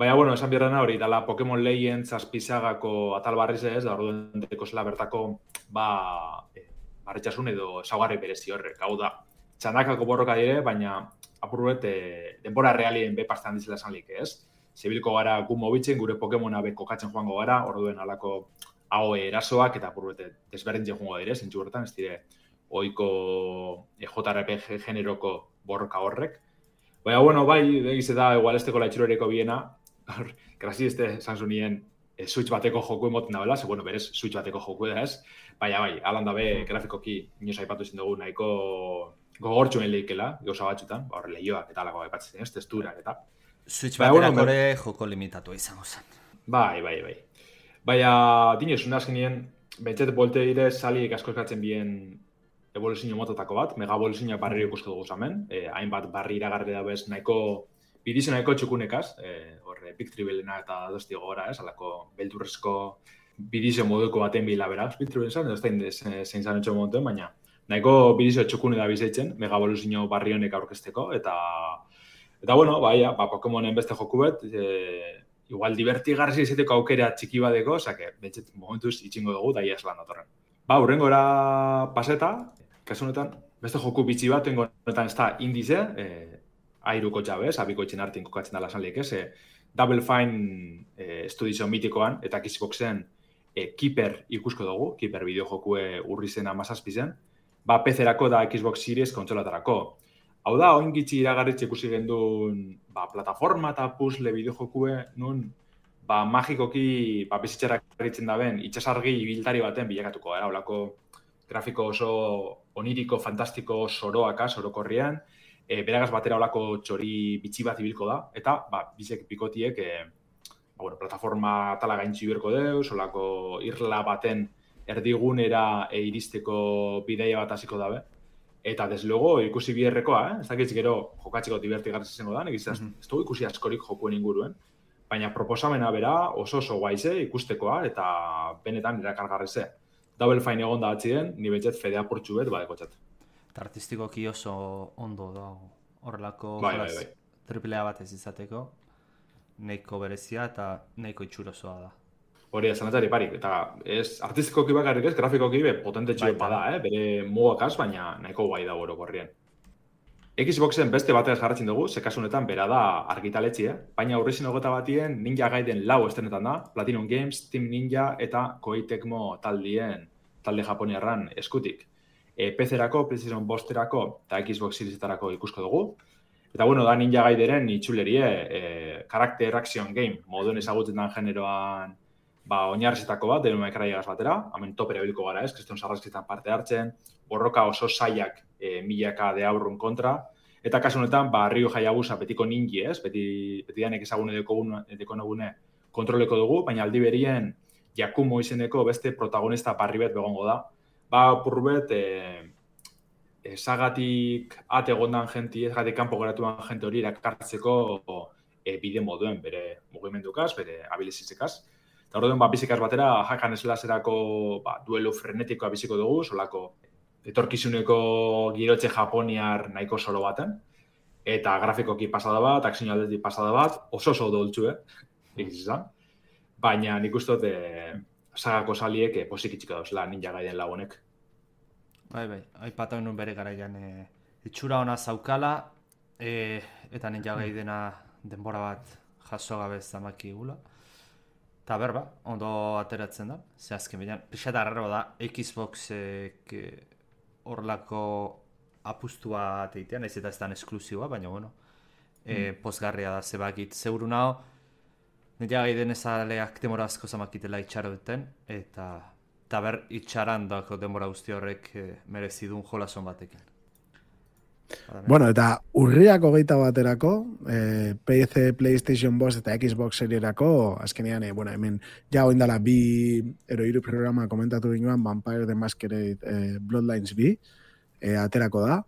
Speaker 5: Baina, bueno, esan bierrena hori, dala Pokemon Legends zazpizagako atal barriz ez, da orduen deko zela bertako, ba, e, barritxasun edo saugarri berezi horrek. Hau da, txandakako borroka dire, baina apurret e, denbora realien bepastan dizela esan lik, ez? Zebilko gara gu mobitzen, gure Pokemona be kokatzen joango gara, orduen alako hau erasoak eta apurret desberdintzen joango dire, zentsu horretan, ez dire, oiko e, J R P G generoko borroka horrek. Baina, bueno, bai, egize da, igual esteko laitxurereko biena, grazi este Samsungien e, Switch bateko joku emoten da bela, ze, bueno, berez Switch bateko joku da ez, baina bai, alan da be, grafikoki inoz aipatu izan dugu nahiko gogortxuen lehikela, gauza batxutan, hor lehioak eta alako aipatzen, ez, testurak eta.
Speaker 6: Switch baterak ore joko limitatu izango zen.
Speaker 5: Bai, bai, bai. Baina, dinez, una azkenien, bentsete bolte dire saliek asko eskatzen bien evoluzio mototako bat, mega evoluzioa barri ikusko dugu zamen, eh, hainbat barri iragarri da bez nahiko, bidizo nahiko txukunekaz, eh, horre, Big Tribelena eta dosti gora, ez, alako beldurrezko bidizo moduko baten bila beraz, Big Tribelena zan, ez da zein zan etxo montuen, baina nahiko bidizo txukune da bizeitzen, mega evoluzio barri honek aurkezteko, eta, eta bueno, bai, ba, Pokemonen beste joku bet, e, igual divertigarri izateko aukera txiki badeko, osake, betxet momentuz itxingo dugu, da iaz lan datorren. Ba, hurrengora paseta, kasu honetan, beste joku bitxi bat, tengo honetan ez da indize, e, airuko txabez, abiko etxen artin kokatzen dala esan lehek ez, e, Double Fine e, estudizio mitikoan, eta Xboxen e, Keeper ikusko dugu, Keeper bideojokue urri zen amazazpi zen, ba, P C-erako da Xbox Series kontsolatarako. Hau da, oin gitxi iragarritxe ikusi gendun, ba, plataforma eta puzzle bideojokue, nun, ba, magikoki, ba, bizitzera garritzen da ben, itxasargi ibiltari baten bilakatuko, era, holako grafiko oso oniriko, fantastiko, soroaka, sorokorrian, e, beragaz batera holako txori bitxi bat ibilko da, eta, ba, bizek bikotiek, e, ba, bueno, plataforma tala gaintzi berko deuz, holako irla baten erdigunera e, iristeko bideia bat hasiko dabe. Eta, deslogo, ikusi biherrekoa, eh? Ez dakitz gero jokatzeko divertigarriz izango da, egiz ez dugu ikusi askorik jokuen inguruen, baina proposamena bera oso oso guaize ikustekoa eta benetan erakargarri ze. Double Fine egon da atzien, ni betxet fedea portxu bet badekotxat.
Speaker 6: Eta artistikoki oso ondo da horrelako
Speaker 5: bai, bai, bai.
Speaker 6: triplea bat ez izateko, nahiko berezia eta nahiko itxurosoa da.
Speaker 5: Hori, zanatari parik, eta ez artistikoki bakarrik ez, grafikoki be potente txio bada, eh? Bere mugakaz, baina nahiko guai da goro gorrien. Xboxen beste batez jarratzen dugu, zekasunetan bera da argitaletxia, baina aurrezin hogeta batien Ninja Gaiden lau estenetan da, Platinum Games, Team Ninja eta Koei Tecmo taldien, talde japoniarran eskutik. E, P C-erako, PlayStation bosterako eta Xbox Seriesetarako ikusko dugu. Eta bueno, da Ninja Gaideren itxulerie, e, Character Action Game, moduen ezagutzen den generoan ba, oinarrizitako bat, denuma ekaraiagaz batera, hemen topera bilko gara ez, kriston sarrazketan parte hartzen, borroka oso saiak e, milaka de aurrun kontra, eta kasu honetan, ba, Ryu Hayabusa betiko ninji ez, beti, beti danek ezagune deko nagune kontroleko dugu, baina aldi berien Yakumo izeneko beste protagonista barri bet begongo da. Ba, purbet, e, e, sagatik ate gondan jenti, ez gatik kanpo geratuan jente hori erakartzeko e, bide moduen, bere mugimendukaz, bere abilizizekaz. Eta horretan, ba, bizikaz batera, hakan eslaserako ba, duelo frenetikoa biziko dugu, solako etorkizuneko girotxe japoniar nahiko soro baten. Eta grafikoki pasada bat, akzio aldetik pasada bat, oso oso doltzu, eh? Egiz izan. Baina nik ustot, e, sagako saliek e, posik itxika dauzela Ninja Gaiden lagunek.
Speaker 6: Bai, bai, aipatu nuen bere garaian e, itxura ona zaukala, e, eta Ninja Gaidena denbora bat jaso gabe zamaki gula. Eta berba, ondo ateratzen da, ze azken bidean. Pixat arraro da, Xboxek horlako apustua ateitea, nahiz eta ez dan esklusiboa, baina bueno, e, mm. pozgarria da, zebakit zeuru naho, Ninja Gaiden ezaleak demora asko zamakitela itxaro duten, eta, eta ber itxaran dako denbora guzti horrek e, merezidun jolason batekin.
Speaker 3: Bueno, eta urriak hogeita baterako, eh, P C, PlayStation bost eta Xbox serierako, azkenean, eh, bueno, hemen ja oindala bi ero hiru programa komentatu ginoan Vampire the Masquerade eh, Bloodlines bi, eh, aterako da.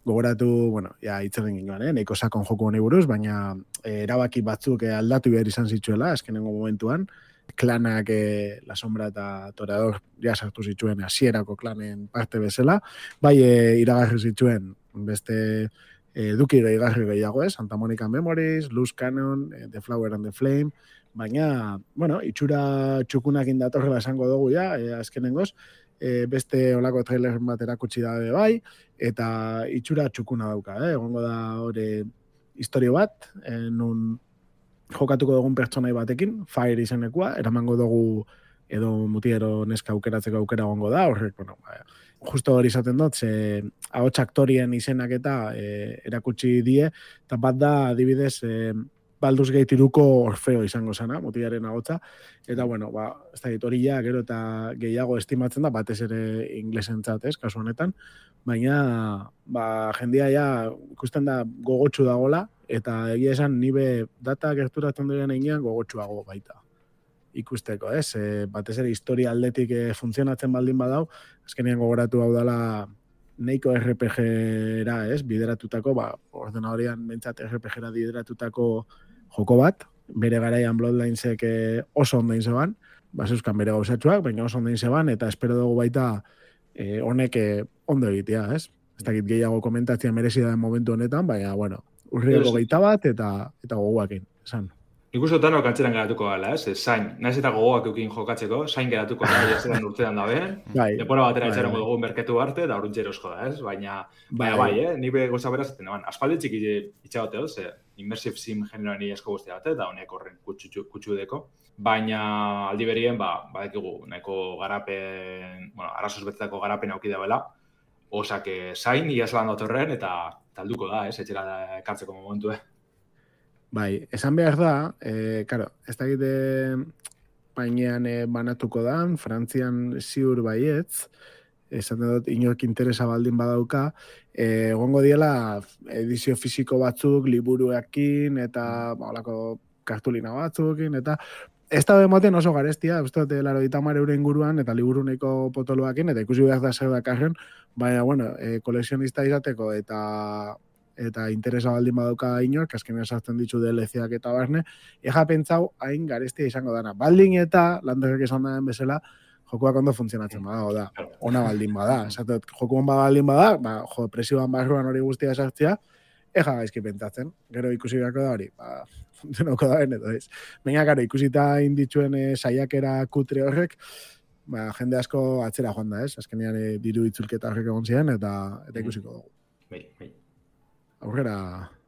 Speaker 3: Gogoratu, bueno, ja itzerren ginoan, eh, neiko sakon joko honi buruz, baina eh, erabaki batzuk eh, aldatu behar izan zituela, azkenengo momentuan, klanak eh, La Sombra eta Toreador ja sartu zituen hasierako klanen parte bezala, bai eh, iragarri zituen beste eh, dukiro igarri gehiago ez, Santa Monica Memories, Loose Cannon, eh, The Flower and the Flame, baina, bueno, itxura txukunak indatorrela esango dugu ja, eh, azkenengoz, eh, beste olako trailer bat erakutsi dabe bai, eta itxura txukuna dauka, eh, egongo da hori historio bat, eh, nun jokatuko dugun pertsonai batekin, Fire izenekua, eramango dugu edo mutiero neska aukeratzeko aukera egongo da, horrek, bueno, justo hori izaten dut, ze ahots aktorien izenak eta e, erakutsi die, eta bat da, adibidez, e, Baldur's Gate iruko Orfeo izango zana, mutiaren ahotsa, eta bueno, ba, ez da hori ja, gero eta gehiago estimatzen da, batez ere inglesentzat, ez, kasu honetan, baina, ba, jendia ja, ikusten da gogotsu dagola, eta egia esan nibe data gerturatzen diren einean gogotsuago baita ikusteko, ez? E, batez ere historia aldetik e, funtzionatzen baldin badau, azkenean gogoratu hau dela neiko R P G-era, ez? Bideratutako, ba, ordenadorian bentsat R P G-era bideratutako joko bat, bere garaian Bloodlinesek e, oso ondain zeban, ba, zeuzkan bere gauzatxuak, baina oso ondain zeban, eta espero dugu baita e, honek e, ondo egitea, ez? Ez dakit gehiago komentatzea merezida den momentu honetan, baina, bueno, urriako geita bat, eta, eta goguakin, esan.
Speaker 5: Ikusten tanok antzeran geratuko gala, ez? Zain, naiz eta gogoak eukin jokatzeko, zain geratuko da, jazeran urtean dabe. Bai. Depora batera etxerango dugu merketu arte, da horuntxe erosko da, ez? Baina, baina bai, eh? Ni be goza beraz, eban, aspaldi txiki itxagote hor, ze immersive sim generoan esko guztia bate, da honek horren kutsu deko. Baina aldi berien, ba, badekigu, nahiko garapen, bueno, arazoz betetako garapen auki dabela, osak zain, iazlan datorren, eta talduko da, ez? Etxera ekartzeko momentu, eh?
Speaker 3: Bai, esan behar da, eh, karo, ez da egite bainean eh, banatuko da, Frantzian ziur baietz, esan dut inork interesa baldin badauka, eh, egongo diela edizio fisiko batzuk, liburuekin, eta olako kartulina batzukin, eta ez da demoten oso garestia, ez dut laro ditamar euro inguruan, eta liburuneko potoloakin, eta ikusi behar da zer dakarren, baina, bueno, eh, koleksionista izateko, eta eta interesa baldin badauka inork, azkenean sartzen ditu D L C-ak eta barne, eja pentsau hain garestia izango dana. Baldin eta, landerrek esan daren bezala, jokuak ondo funtzionatzen bada, da, ona baldin bada. Esatet, joku hon baldin bada, ba, jo, presioan barruan hori guztia sartzea, eja gaizki pentsatzen. Gero ikusi beharko da hori, ba, funtzionauko da beneto, ez. Baina, gero, ikusita indituen e, saiakera kutre horrek, ba, jende asko atzera joan da, ez. Azkenean e, diru itzulketa horrek egon ziren, eta, eta ikusiko dugu.
Speaker 5: Bai, bai.
Speaker 3: Aurrera,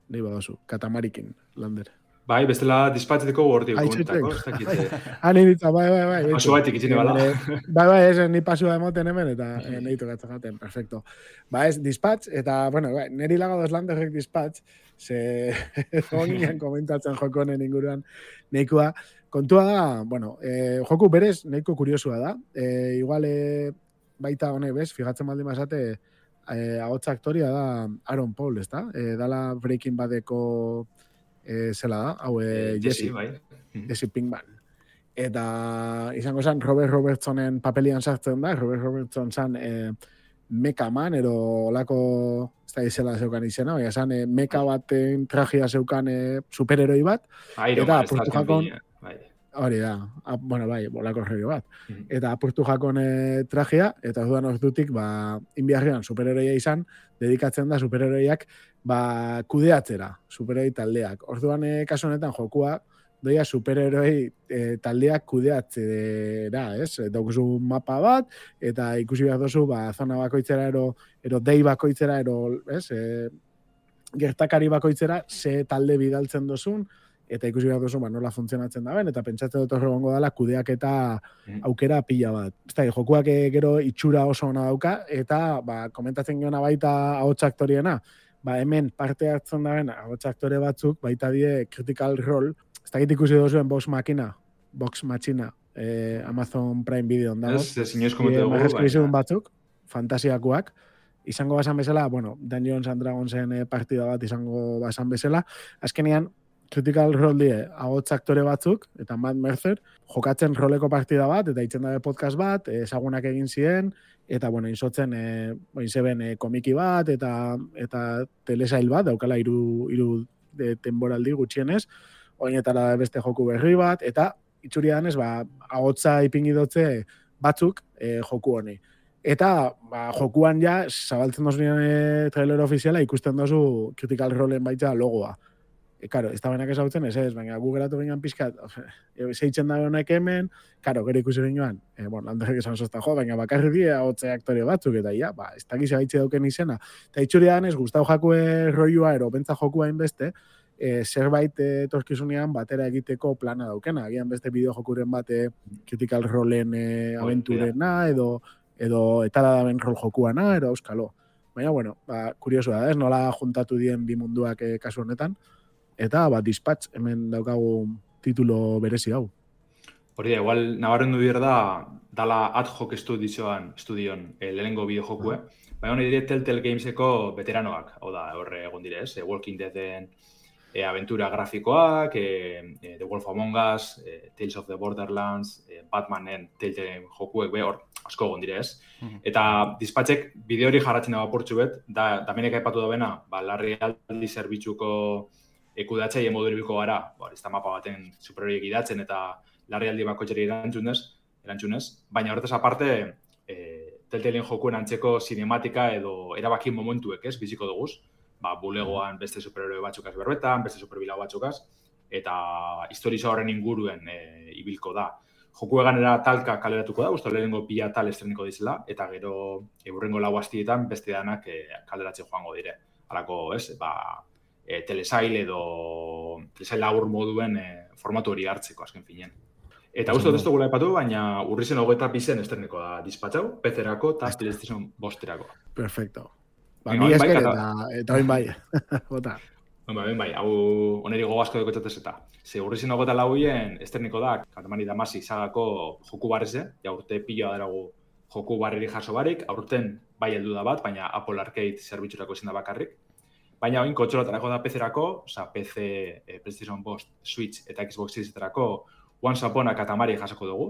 Speaker 3: nahi badazu, katamarikin, lander.
Speaker 5: Bai, bestela dispatzeteko gordi komentako, ez dakite.
Speaker 3: Ah, nahi ditza, bai, bai, bai.
Speaker 5: Pasu baitik itxine bala.
Speaker 3: Bai, bai, ez, nahi pasua emoten hemen, eta nahi tokatzen jaten, perfecto. Ba, ez, dispatz, eta, bueno, bai, neri lagadoz landerrek dispatz, ze honian komentatzen joko honen inguruan nahikoa. Kontua da, bueno, eh, joku berez nahiko kuriosua da. Eh, igual, eh, baita honek, bez, fijatzen baldin basate, Eh, ahotsa aktoria da Aaron Paul, ez da? Eh, dala Breaking Badeko eh, zela da, hau eh, Jesse,
Speaker 5: bai.
Speaker 3: Jesse Pinkman. Eta izango zen Robert Robertsonen papelian sartzen da, Robert Robertson zen eh, Mecha Man, ero olako, ez da izela zeukan izena, baina zen eh, Mecha baten trajea zeukan eh, superheroi bat,
Speaker 5: Iron
Speaker 3: eta
Speaker 5: Man,
Speaker 3: apurtu jakon,
Speaker 5: bai.
Speaker 3: hori da, a, bueno, bai, bolako erregio bat. Mm-hmm. Eta apurtu jakon e, trajea, eta dudan ordutik, ba, inbiarrean superheroia izan, dedikatzen da superheroiak, ba, kudeatzera, superheroi taldeak. Orduan, e, kasu honetan, jokua, doia superheroi e, taldeak kudeatzera, ez? Daukuzu mapa bat, eta ikusi behar dozu, ba, zona bakoitzera, ero, ero dei bakoitzera, ero, ez? E, gertakari bakoitzera, ze talde bidaltzen dozun, eta ikusi behar duzu, ba, nola funtzionatzen da ben, eta pentsatzen dut horregongo dela kudeak eta aukera pila bat. Ez da, jokuak gero itxura oso ona dauka, eta ba, komentatzen geona baita ahots aktoriena, ba, hemen parte hartzen da ben, ahots aktore batzuk, baita die Critical Role, ez da ikusi duzuen Vox Machina, Vox Machina, eh, Amazon Prime Video dago.
Speaker 5: Ez, ez inoiz komentu dugu,
Speaker 3: baina. Batzuk, fantasiakoak, izango basan bezala, bueno, Dungeons and Dragonsen eh, partida bat izango basan bezala, azkenean, Critical Role die, ahots aktore batzuk, eta Matt Mercer, jokatzen roleko partida bat, eta itzen dabe podcast bat, ezagunak egin ziren, eta, bueno, insotzen, e, inzeben e, komiki bat, eta eta telesail bat, daukala iru, iru de temporaldi gutxienez, oinetara beste joku berri bat, eta itxuri danez, ba, ahotsa ipingi dotze batzuk e, joku honi. Eta ba, jokuan ja, zabaltzen dozu e, trailer ofiziala, ikusten dozu Critical Roleen baitza logoa. E, karo, ez da benak ezautzen, ez ez, baina gu geratu ginen pixkat, zeitzen da honek hemen, karo, gero ikusi ginoan, e, bueno, Anderrek esan zozta jo, baina bakarri die hotze aktore batzuk, eta ja, ba, ez dakiz gaitxe dauken izena. Eta itxuri danez, gustau jakue roiua, ero, bentza jokua inbeste, e, zerbait etorkizunean batera egiteko plana daukena, agian beste bideojokuren bate Critical Roleen e, aventurena, edo, edo etala daben rol jokuana, ero auskalo. Baina, bueno, ba, kuriosua da, ez, nola juntatu dien bi munduak e, kasu honetan, eta, ba, Dispatch, hemen daukagu titulo berezi hau.
Speaker 5: Hori da, igual, nabarrendu bier da, dala ad hoc estudioan, estudion, e, lehenengo bideojokue, uh-huh. Baina hori dire Telltale Gameseko veteranoak, hau da, horre egon direz, e, Walking Deaden e, aventura grafikoak, e, e, The Wolf Among Us, e, Tales of the Borderlands, e, Batmanen Telltale jokuek, be, hor, asko egon direz. Uh-huh. Eta Dispatchek bideo hori jarratzen dago portxu bet, da, damenek aipatu da bena, ba, larri aldi zerbitzuko ekudatzaile moduribiko gara, ba, ez da mapa baten superhoriek idatzen eta larrialdi bakotxeri erantzunez, erantzunez, baina horretaz aparte, e, Telltalen jokuen antzeko sinematika edo erabaki momentuek, ez, biziko duguz, ba, bulegoan beste superheroi batzukaz berbetan, beste superbilau batzukaz, eta historiza horren inguruen e, ibilko da. Joku eganera talka kaleratuko da, uste lehenengo pila tal estreniko dizela, eta gero eurrengo lau astietan beste danak e, kaleratzen joango dire. Halako, ez, ba, E, telesail edo telesail labur moduen e, formatu hori hartzeko azken finean. Eta uste ez dugula epatu, baina urrizen hogeita bizen esterneko da dispatxau, P C-erako eta PlayStation bosterako.
Speaker 3: Perfecto. Ba, mi esker eta, eta oin bai. Bota.
Speaker 5: Ba, ben bai, hau oneri gogasko dekotzatez eta. Ze urrizen hogeita lauien esterneko da, Katamari Damacy sagako joku barreze, ja urte piloa daragu joku barreri jaso barik, aurten bai heldu da bat, baina Apple Arcade zerbitzurako izan da bakarrik. Baina oin kontxolotarako da P C-erako, oza, P C, eh, PlayStation bost, Switch eta Xbox Series-etarako Once Upon a Katamari jasoko dugu.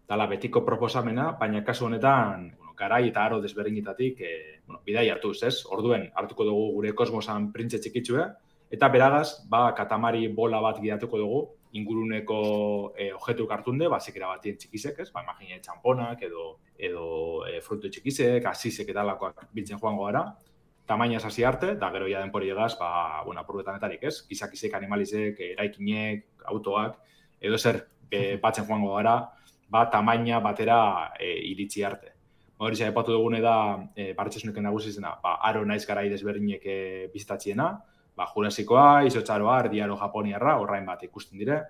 Speaker 5: Dala betiko proposamena, baina kasu honetan, bueno, garai eta aro desberdinetatik, eh, bueno, bidai hartuz, ez? Orduen hartuko dugu gure kosmosan printze txikitsue, eta beragaz, ba, Katamari bola bat gidatuko dugu, inguruneko eh, objetu kartunde, ba, zekera batien txikizek, ez? Ba, imagine txamponak edo, edo eh, frutu txikizek, asizek eta lakoak biltzen joango gara. Tamainaz hasi arte, da gero ja denpori egaz, ba, bueno, apurbetanetarik, ez? Gizakizek, animalizek, eraikinek, autoak, edo zer e, batzen joango gara, ba, tamaina batera e, iritsi arte. Hori zai, epatu dugune da, e, barretxasunek nagusizena, ba, aro naiz garai desberdinek e, bizitatxiena, ba, Jurasikoa, Izotxaroa, Erdiaro Japoniarra, horrain bat ikusten dire.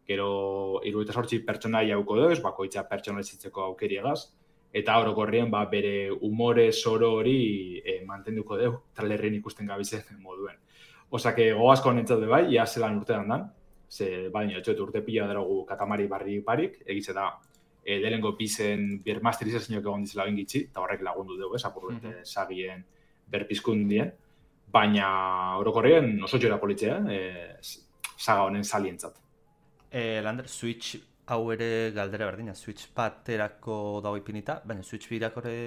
Speaker 5: Gero, hirurogeita zortzi pertsonai hauko duz, bakoitza pertsonalizitzeko aukeriegaz. Eta orokorrien ba, bere umore zoro hori e, mantenduko deu, trailerren ikusten gabizen moduen. Osake, goazko nintzat bai, ia zelan urtean dan, ze baina etxoet urte pila darogu Katamari barri parik, egize da, e, delengo pizen bermasterizazioak egon dizela bengitzi, eta horrek lagundu dugu, ez, apurrete mm-hmm. sagien berpizkundien, baina orokorrien oso txora politzea, e, saga honen salientzat.
Speaker 6: E, Lander, Switch hau ere galdera berdina, Switch baterako dago ipinita, baina Switch birako ere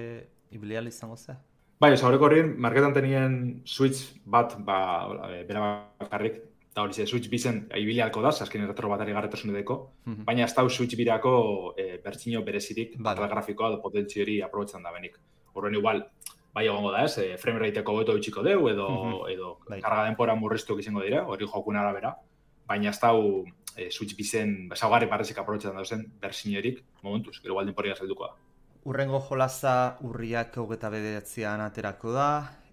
Speaker 6: ibilial izango ze?
Speaker 5: Bai, oza, horreko horien, marketan tenien Switch bat, ba, bera bakarrik, eta hori ze, Switch bizen ibilialko da, azken retro batari garretasun edeko, mm-hmm. baina ez da Switch birako e, bertxino berezirik, batal grafikoa da potentzi hori aprobetzen da benik. Horren igual, bai egongo da ez, e, frame rateeko beto bitxiko deu, edo, mm-hmm. edo bai. Karga denpora murriztuak izango dira, hori jokun arabera, baina ez da E, Switch bizen, besaugarri parrezik aprobetxetan dauzen, bersinerik, momentuz, gero baldin porri gazalduko da.
Speaker 6: Urrengo jolaza urriak hogeta bederatzean aterako da,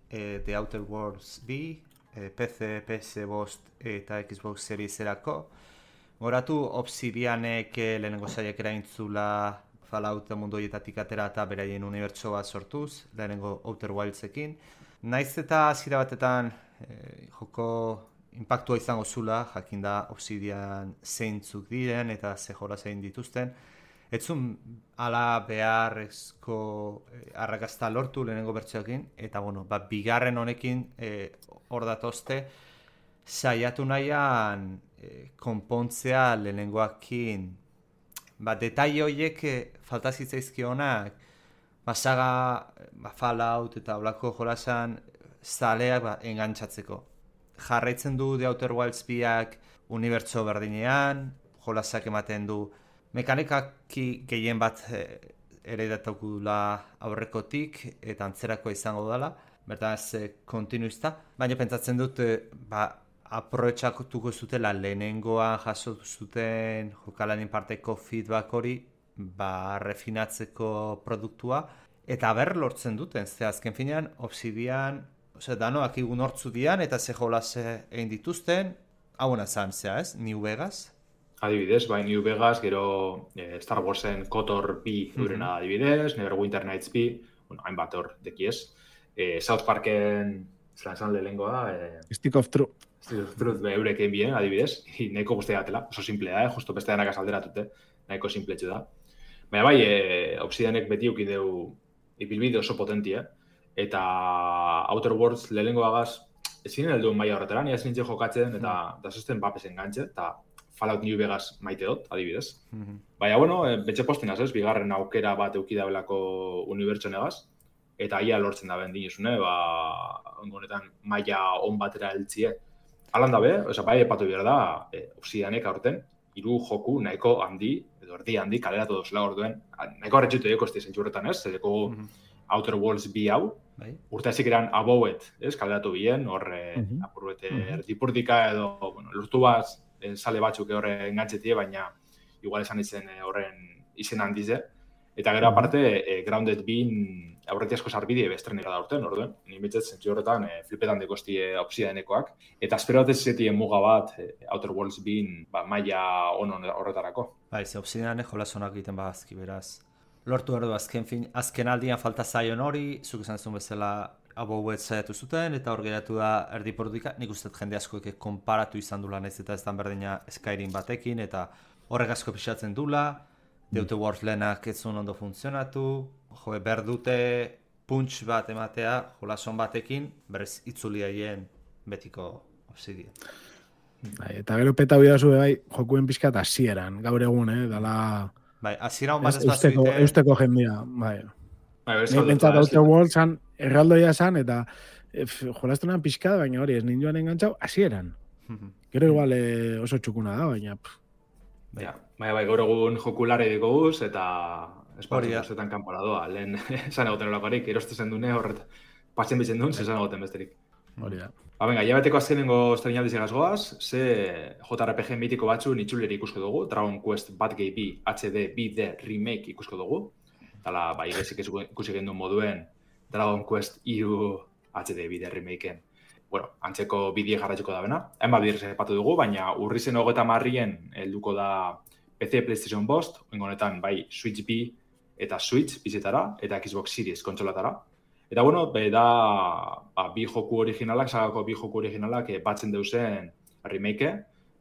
Speaker 6: e, The Outer Worlds bi, e, P C, P S bost eta Xbox Series-erako. Goratu, Obsidianek lehenengo zaiak eraintzula Fallout mundu horietatik atera eta beraien unibertsoa sortuz, lehenengo Outer Wildsekin. Naiz eta hasiera batetan e, joko impactua izango zula, jakin da Obsidian zeintzuk diren eta ze jola zein dituzten. etzun ala beharrezko eh, arrakasta lortu lehenengo bertsioekin, eta bueno, ba, bigarren honekin eh, hor datozte, saiatu nahian eh, konpontzea lehenengoakin, ba, detaile horiek eh, falta zitzaizkionak, ba, saga, ba, Fallout eta olako jolasan zaleak ba, engantzatzeko. Jarraitzen du The Outer Wilds biak unibertso berdinean, jolasak ematen du mekanikaki gehien bat eh, ere datakula aurrekotik eta antzerako izango dela, bertaz eh, kontinuista, baina pentsatzen dut eh, ba, aprobetxatuko zutela lehenengoa jaso zuten jokalanin parteko feedback hori ba, refinatzeko produktua, eta ber lortzen duten, ze azken finean Obsidian, ose, danoak igun hortzu dian, eta ze jolas egin dituzten, hauena zan, zea ez, New Vegas?
Speaker 5: Adibidez, bai, New Vegas, gero eh, Star Warsen KOTOR bi eurena mm -hmm. adibidez, Neverwinter Nights bi, bueno, hainbat hor dekiez. Eh, South Parken, zelan esan lehengoa, eh,
Speaker 3: Stick of Truth.
Speaker 5: Stick of Truth, be, eureken bien, adibidez, nahiko guztia gatela, oso simplea, eh, justo beste denak azalderatute, nahiko simpletxu da. Baina bai, eh, Obsidianek beti ukideu ibilbide oso potentia, eta Outer Worlds lehengoagaz, ezin heldu maila horretara, ni ez nintzen jokatzen, eta mm. da sosten bapesen gantxe, eta Fallout New Vegas maite dut, adibidez. Mm-hmm. Baina, bueno, e, betxe postinaz ez, bigarren aukera bat eukidabelako unibertsonegaz, eta ia lortzen da ben dinezune, ba, honetan maila on batera heltzie. Alan da be, oza, bai epatu behar da, e, Obsidianek aurten, hiru joku nahiko handi, edo erdi handi, kaleratu dozela orduen, nahiko harretxutu egoko esti zentzu horretan ez, zedeko mm-hmm. Outer Worlds bi hau, bai. Urte ezik eran abouet, ez, kaleratu bien, horre, mm-hmm. apurrete, mm-hmm. erdipurdika edo, bueno, lortu bat, sale batzuk horre engantzetie, baina igual esan izen horren izen handize. Eta gero aparte, e, Grounded bin aurreti asko sarbide bestrenera da urten, orduen. Ni mitzet zentzu horretan e, flipetan dekostie Obsidianekoak. Eta espero bat ez zetien muga bat e, Outer Worlds bin ba, maila onon horretarako.
Speaker 6: Bai, ze Obsidianek jolasonak egiten bazki, beraz. Lortu erdu azken, fin, azken aldian falta zaion hori, zuk esan zuen bezala abouet saiatu zuten, eta hor geratu da erdipurdika, nik uste jende askoek konparatu izan dula naiz eta ez dan berdina Skyrim batekin, eta horrek asko pixatzen dula, The Outer Worlds lehenak ez zuen ondo funtzionatu, jo, berdute punch bat ematea, jolason batekin, berez itzuliaien betiko Obsidian.
Speaker 3: Bai, eta gero peta bidazu bai, jokuen pixkat hasieran, gaur egun, eh, dala...
Speaker 6: Bai, hasieran bat ez
Speaker 3: eusteko,
Speaker 6: bazuite...
Speaker 3: Eusteko jendia, bai.
Speaker 5: Bai,
Speaker 3: Bentsat Outer Worlds zan, erraldoia zan, eta e, jolaztunan pixka, baina hori, ez ninduan engantzau, hasieran. Gero igual e, oso txukuna da, baina...
Speaker 5: Bai, bai, bai, gaur egun jokulare diko guz, eta espartzuzetan kanpora doa. Lehen, esan egoten olakoarik, eroste zen dune, horret, pasen bitzen duen, esan egoten besterik.
Speaker 3: Hori da.
Speaker 5: Ba, venga, jabeteko azkenengo estrenaldi zegaz goaz, ze J R P G mitiko batzu nitzuleri ikusko dugu, Dragon Quest Bad Gay bi H D bi D Remake ikusko dugu, Tala, bai, gezik ikusi gendu moduen Dragon Quest hiru H D bide remakeen. Bueno, antzeko bidie jarraituko da bena. Hainbat biderrez epatu dugu, baina urrizen hogeita marrien helduko da P C, PlayStation bost, honetan bai Switch bi eta Switch bizetara, eta Xbox Series kontsolatara. Eta bueno, be da ba, bi joku originalak, sagako bi joku originalak e, batzen deusen remake,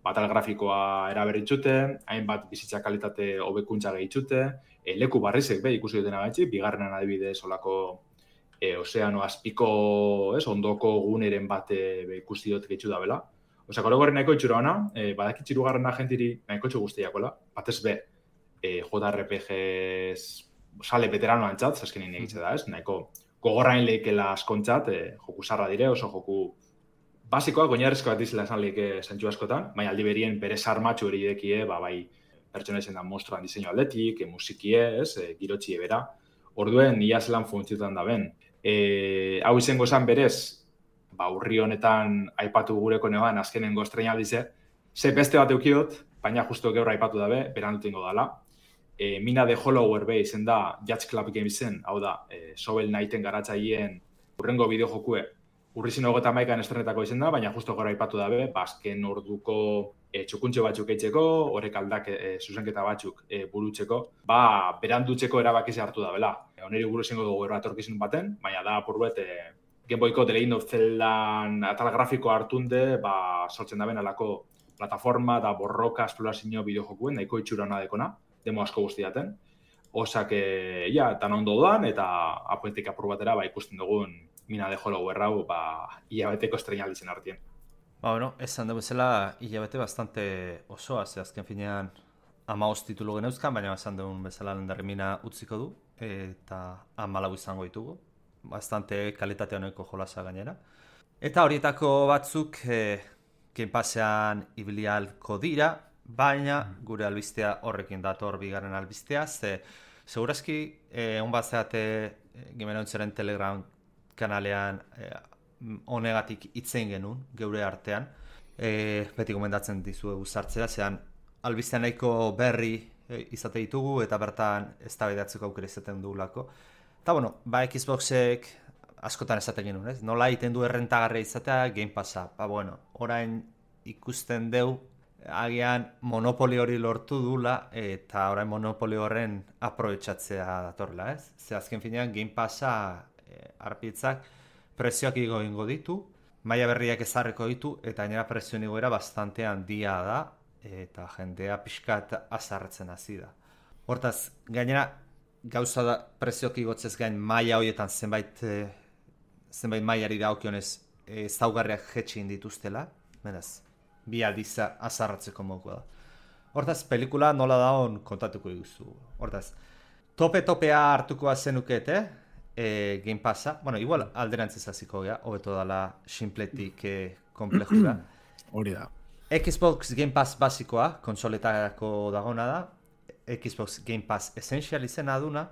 Speaker 5: batal grafikoa eraberritxute, hainbat bizitza kalitate hobekuntza gehitzute, e, leku barrizek be ikusi dutena gaitxi, bigarrenan adibidez olako e, ozeano azpiko, ez, ondoko guneren bate be, ikusi dut gehitzu da bela. Osa, gero gorri nahiko itxura hona, e, badakitxiru garren agentiri nahiko txu guztiakola, batez be, e, J R P Gs sale veterano antzat, zaskenin egitze da, ez, nahiko gogorrain lehikela askontzat, e, joku sarra dire, oso joku basikoa, goinarrizkoa dizela esan lehike zentsu askotan, baina aldi berien bere sarmatxu hori idekie, ba, bai, pertsona izan da monstruan diseinu aldetik, e, musikie, ez, e, girotxie bera, orduen ia zelan funtziotan da ben. E, hau izango esan berez, ba, urri honetan aipatu gureko neban azkenengo estreinaldize, ze beste bat eukiot, baina justu gaur aipatu dabe, beran dutengo dala. E, Mina de Hollower be izen da Judge Club Gamesen, hau da, e, Shovel Knighten garatzaien urrengo bideojokue urrizin hogeta maikan estrenetako izen da, baina justo gora aipatu dabe, bazken orduko e, txukuntxo batzuk eitzeko, horrek aldak e, zuzenketa batzuk e, burutzeko, ba, berandutzeko erabakize hartu da, bela. E, oneri buru zingo dugu eratorkizun baten, baina da, apurbet, e, Game Boyko The Legend of Zeldan atal grafiko hartunde, ba, sortzen da ben alako plataforma da borroka esplorazio bideojokuen, nahiko itxura hona dekona. demo asko guztiaten. Osak, ja, tan ondo doan, eta apuentik apur batera, ba, ikusten dugun Mina de Hollower hau, ba, hilabeteko estrenaldizen artien.
Speaker 6: Ba, bueno, esan dugu zela, hilabete bastante osoa, ze azken finean hamabost titulu geneuzkan, baina esan dugun bezala lehendarri Mina utziko du, eta hamalau izango ditugu. Bastante kalitate honeko jolasa gainera. Eta horietako batzuk e, Game Passean ibilialko dira, baina gure albistea horrekin dator bigarren albistea, ze segurazki eh, on bat zeate e, Gimenontzaren Telegram kanalean e, honegatik hitzein genuen geure artean. E, beti gomendatzen dizuegu sartzea, zean albistea nahiko berri e, izate ditugu eta bertan eztabaidatzeko aukera izaten dugulako. Eta bueno, ba Xboxek askotan esaten genuen, ez? Nola egiten du errentagarria izatea Game Passa. Ba bueno, orain ikusten deu agian monopoli hori lortu dula eta orain monopoli horren aprobetxatzea datorla, ez? Ze azken finean Game Passa e, arpitzak prezioak igo ingo ditu, maila berriak ezarriko ditu eta gainera prezioen igoera bastante handia da eta jendea pixkat azarretzen hasi da. Hortaz, gainera gauza da prezioak igotzez gain maila horietan zenbait e, zenbait mailari dagokionez ezaugarriak jetxi dituztela, beraz, bi aldiz azarratzeko moduko da. Hortaz, pelikula nola daun kontatuko diguzu. Hortaz, tope-topea hartuko zenukete, e, Game Passa, bueno, igual alderantziz hasiko gea, hobeto dala simpletik e, komplejura.
Speaker 3: Hori da.
Speaker 6: Xbox Game Pass basikoa, konsoletako dagona da, Xbox Game Pass Essential izena duna,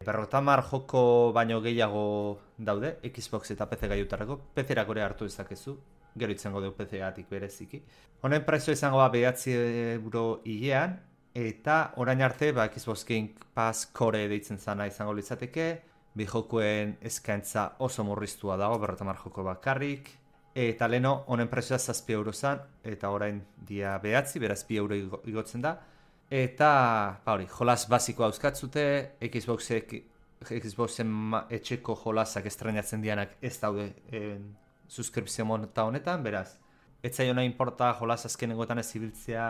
Speaker 6: berrotamar joko baino gehiago daude, Xbox eta P C gaiutarako, P C-erak ere hartu dezakezu, gero itzengo deu P C-atik bereziki. Honen prezio izango da bederatzi euro hilean, eta orain arte ba, Xbox Game Pass Core deitzen zana izango litzateke, bi jokoen eskaintza oso murriztua dago, berrotamar joko bakarrik, eta leno honen prezioa zazpi euro zan, eta orain dia bederatzi, beraz bi euro igotzen da, eta ba hori, jolas basikoa euskatzute, Xboxek, Xboxen etxeko jolasak estrenatzen dianak ez daude e, suskripzio monta honetan, beraz, ez zaio nahi importa jolas azkenengotan ez ibiltzea,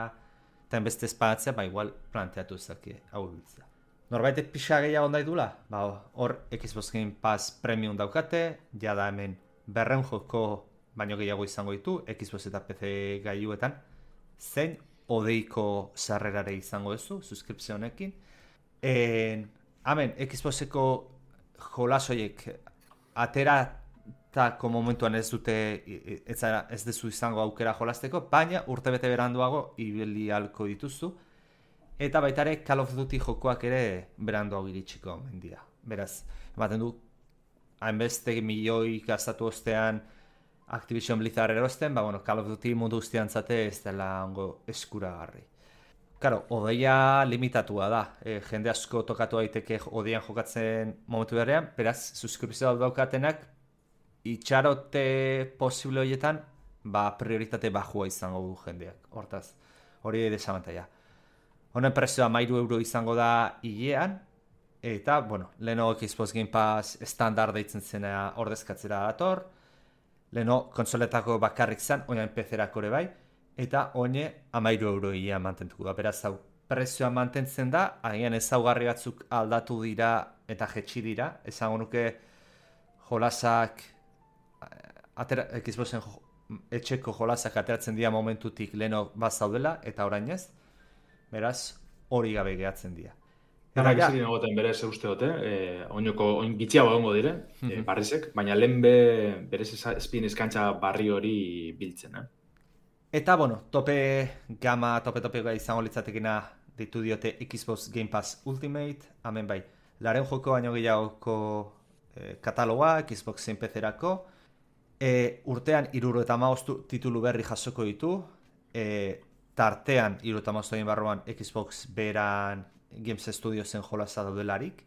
Speaker 6: eta enbeste espadatzea, ba igual planteatu ezaki hau ibiltzea. Norbaitek pixa gehiago ondai dula? Ba hor, Xbox Game Pass Premium daukate, jada hemen berreun joko baino gehiago izango ditu, Xbox eta P C gailuetan, zein odeiko sarrerare izango duzu, suskripzio honekin. Hemen, Xboxeko jolasoiek ateratako momentuan ez dute, ez, ez dezu izango aukera jolasteko, baina urtebete beranduago ibili ahalko dituzu, eta baita ere Call of Duty jokoak ere beranduago iritsiko mendia. Beraz, ematen du, hainbeste milioi gastatu ostean Activision Blizzard erosten, ba, bueno, Call of Duty mundu guztian zate ez dela ongo eskuragarri. Karo, odeia limitatua da. E, jende asko tokatu daiteke odeian jokatzen momentu berean, beraz, suskripzioa daukatenak, itxarote posible horietan, ba, prioritate bajua izango du jendeak. Hortaz, hori desabantaia. Honen prezioa hamairu euro izango da hilean, eta, bueno, leheno Xbox Game Pass standard deitzen zena ordezkatzera dator, leheno konsoletako bakarrik zan, oinain P C-erako ere bai, eta oine hamairu euro hilean mantentuko da. Beraz, hau, prezioa mantentzen da, agian ezaugarri batzuk aldatu dira eta jetxi dira, esango nuke jolasak, atera, Xboxen jo, etxeko jolasak ateratzen dira momentutik leheno bazaudela, eta orain ez, beraz, hori gabe gehatzen dira.
Speaker 5: Garak ez egin egoten berez usteote, eh, oinoko oin gitxiago egongo dire, eh, barrizek, baina lehen be, berez espin eskantza barri hori biltzen, eh?
Speaker 6: Eta, bueno, tope gama, tope-topea izango litzatekena ditu diote Xbox Game Pass Ultimate, hemen bai, laren joko baino gehiagoko eh, kataloga, Xboxen P C-erako, eh, urtean hirurogeita hamabost titulu berri jasoko ditu, eh, tartean hirurogeita hamabost barruan Xbox beran Games Studiosen jolasa daudelarik.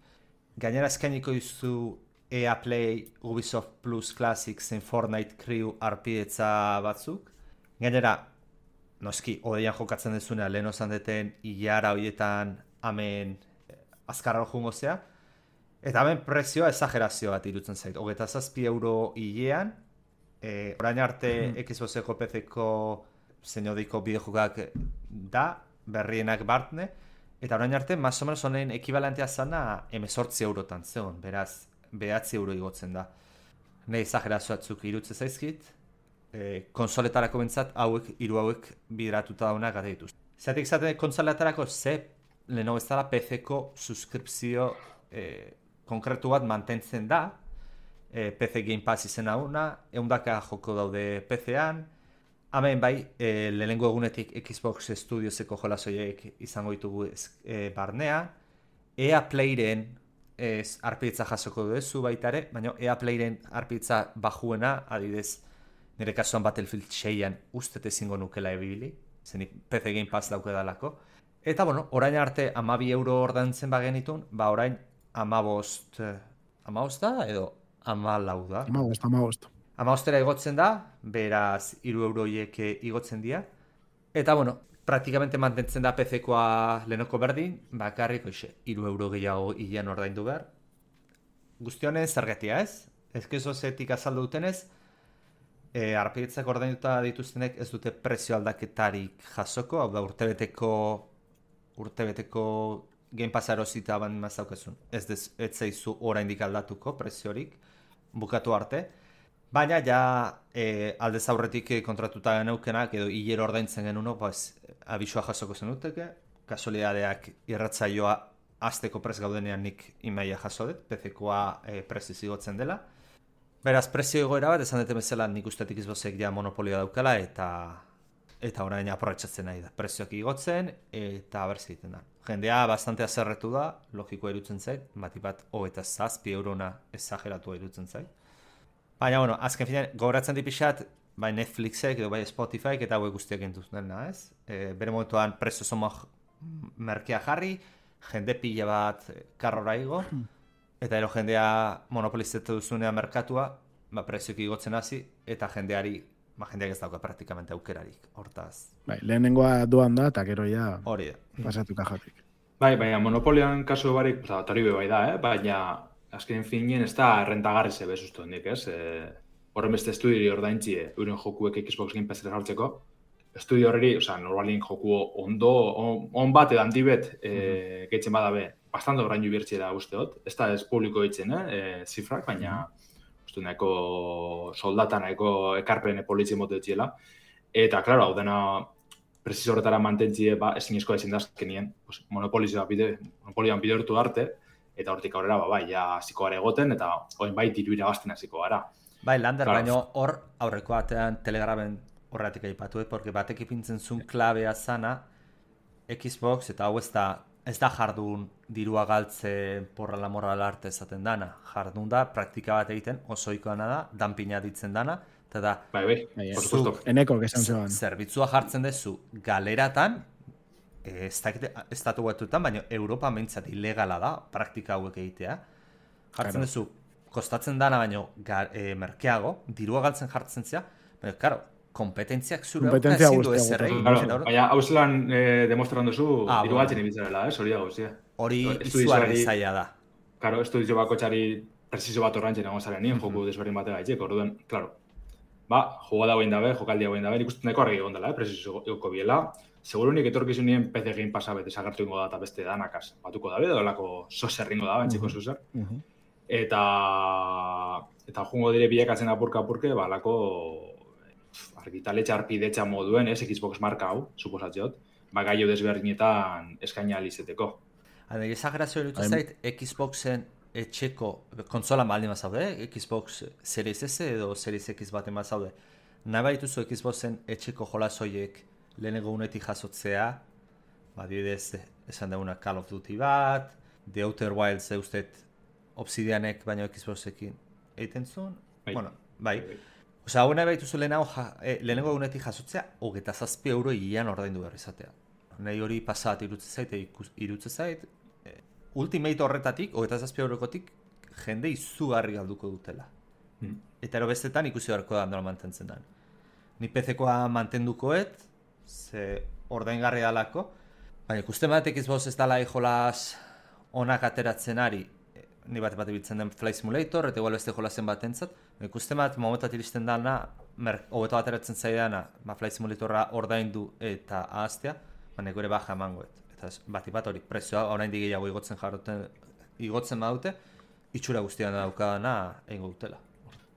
Speaker 6: Gainera eskainiko dizu E A Play, Ubisoft Plus Classic, zein Fortnite Crew arpidetza batzuk. Gainera, noski, odeian jokatzen dezuna, lehen osan deten hilara horietan amen azkarra jungo zea. Eta hemen prezioa exagerazio bat irutzen zait. Hogeita zazpi euro hilean, e, orain arte mm-hmm. Xboxeko P C-ko zein odeiko bideojokak da, berrienak bartne, Eta orain arte, más o menos honen ekibalentea zana hemezortzi eurotan zeon, beraz, behatzi euro igotzen da. Nei exagerazio batzuk irutze zaizkit, e, konsoletarako bentzat hauek, hiru hauek bideratuta daunak gata dituzte. Zeratik zaten konsoletarako ze lehenago ez dela P C-ko suskripzio e, konkretu bat mantentzen da, e, P C Game Pass izena una, eundaka joko daude P C-an, hemen bai, e, lehenengo egunetik Xbox Studioseko jolasoiek izango ditugu e, barnea, E A Playren ez arpitza jasoko duzu baita ere, baina E A Playren arpitza bajuena, adidez, nire kasuan Battlefield seian ustet ezingo nukela ebibili, zenik P C Game Pass dauke dalako. Eta, bueno, orain arte amabi euro ordaintzen bagenitun, ba orain amabost, amabost da edo amalau da?
Speaker 3: Amabost, amabost.
Speaker 6: Amabostera igotzen da, beraz hiru euroiek igotzen dira. Eta, bueno, praktikamente mantentzen da P C-koa lehenoko berdin, bakarrik hoxe, hiru euro gehiago hilean ordaindu behar. Guztionen zergatia ez? Ezkezo zetik azaldu dutenez, e, arpietzak ordainduta dituztenek ez dute prezio aldaketarik jasoko, hau da urtebeteko urtebeteko Game Pass erosita ban mazaukezun. Ez dez, ez zaizu oraindik aldatuko preziorik, bukatu arte. Baina ja e, aldez aurretik kontratuta geneukenak edo hilero ordaintzen genuno, pues, abisua jasoko zenuteke, kasualidadeak irratzaioa azteko prez gaudenean nik imaia jaso dut, P C-koa e, preziz igotzen dela. Beraz, prezio egoera bat, esan dute bezala nik ustetik izbozek ja monopolioa daukala eta eta orain aprobetxatzen nahi da. Prezioak igotzen eta berzi egiten da. Jendea bastante azerretu da, logikoa irutzen zait, bati bat hogeita zazpi eurona exageratua irutzen zait. Baina, bueno, azken finean, gogoratzen dipixat, bai Netflixek edo bai Spotifyek eta hauek guztiak entuz dena, ez? E, bere momentuan prezio zoma merkea jarri, jende pila bat karrora igo, eta ero jendea monopolizatu duzunean merkatua, ba, prezioak igotzen hasi, eta jendeari, ba, jendeak ez dauka praktikamente aukerarik, hortaz.
Speaker 3: Bai, lehenengoa doan da, eta gero ja
Speaker 6: hori da.
Speaker 3: Pasatu kajatik.
Speaker 5: Bai, baina monopolian kasu barik, oza, toribe bai da, eh? Baina azken finien ez da rentagarri zebe sustu hendik, ez? E, horren beste estudiori ordaintzie, euren jokuek Xbox Game Pass jartzeko. Estudio horreri, oza, normalin joku ondo, on, on bat edo handibet e, mm-hmm. gehitzen badabe, bastante orain jubertxe da usteot. Ez da ez publiko ditzen, eh? E, zifrak, baina mm-hmm. uste nahiko soldata nahiko ekarpen politzen mote ditziela. Eta, klaro, hau dena prezizo horretara mantentzie, ba, ezinezkoa ezin dazkenien, pues, monopolioan bide, monopolioan bide hortu arte, eta hortik aurrera, ba, bai, ja hasiko gara egoten, eta oin bai diru irabazten hasiko gara.
Speaker 6: Bai, Lander, claro. Baino hor aurreko batean Telegramen horretik aipatu, porque batek ipintzen zuen klabea zana Xbox, eta hau ez da, ez da jardun dirua galtze porra la moral arte esaten dana. Jardun da, praktika bat egiten, osoikoana da, danpina ditzen dana, eta da,
Speaker 5: bai, bai, bai, por supuesto.
Speaker 3: Eneko, esan zegoen.
Speaker 6: Zerbitzua jartzen dezu galeratan, ez dakite, estatu batuetan, baina Europa mentzat ilegala da, praktika hauek egitea. Jartzen duzu, kostatzen dana baino e, merkeago, dirua galtzen jartzen zea, baina, karo, kompetentziak zure hau ezin du ez errei.
Speaker 5: Baina, hau zelan e, demostran duzu, ah, diru galtzen ibitzarela, eh? Hori dago, zia.
Speaker 6: Hori izugarri zaila da.
Speaker 5: Karo, estudio bako txari preciso bat orrantzen egon zaren nien, mm-hmm. joku desberdin batega itxek, orduan, klaro. Ba, joga dagoen dabe, jokaldi dagoen dabe, ikusten nahiko argi egon dela, eh? Preciso egoko biela. Segurunik etorkizunien P C Game Passa bete sagartu ingo da eta beste danakaz batuko dabe, dolako soserringo da, bantxiko soser. Uh-huh. Eta eta jungo dire bilakatzen apurka apurke, ba, lako argitaletxa arpidetxa moduen, ez, Xbox marka hau, suposatzeot, ba, gaio desberdinetan eskaina alizeteko.
Speaker 6: Hade, exagerazio erutu zait, Xboxen etxeko konsolan baldin mazaude, Xbox Series S edo Series X baten mazaude. Nahi baituzu Xboxen etxeko jolasoiek lehenengo unetik jasotzea, ba, dibidez, esan dauna Call of Duty bat, The Outer Wilds eustet Obsidianek baino Xboxekin egiten zuen. Bai. Bueno, bai. Osa, hau nahi baituzu lehenago, ja, eh, lehenengo unetik jasotzea, hogeita zazpi euro hilean ordaindu behar izatea. Nahi hori pasat irutze zait, irutze zait, eh, Ultimate horretatik, hogeita zazpi eurokotik, jende izugarri galduko dutela. Hmm. Eta ero bestetan ikusi beharko da handola mantentzen da. Ni P C-koa mantendukoet, ze ordaingarri dalako, baina ikusten bat Xbox ez dala jolaz onak ateratzen ari, ni bat bat ibiltzen den Flight Simulator, eta igual beste jolazen bat entzat, ikusten bat momentat iristen dana, hobeto ateratzen zaidana, ba, Flight Simulatorra ordaindu eta ahaztea, baina gure baja emangoet. Eta bati bat hori prezioa oraindik gehiago igotzen jarroten igotzen badute, itxura guztian daukadana egingo dutela.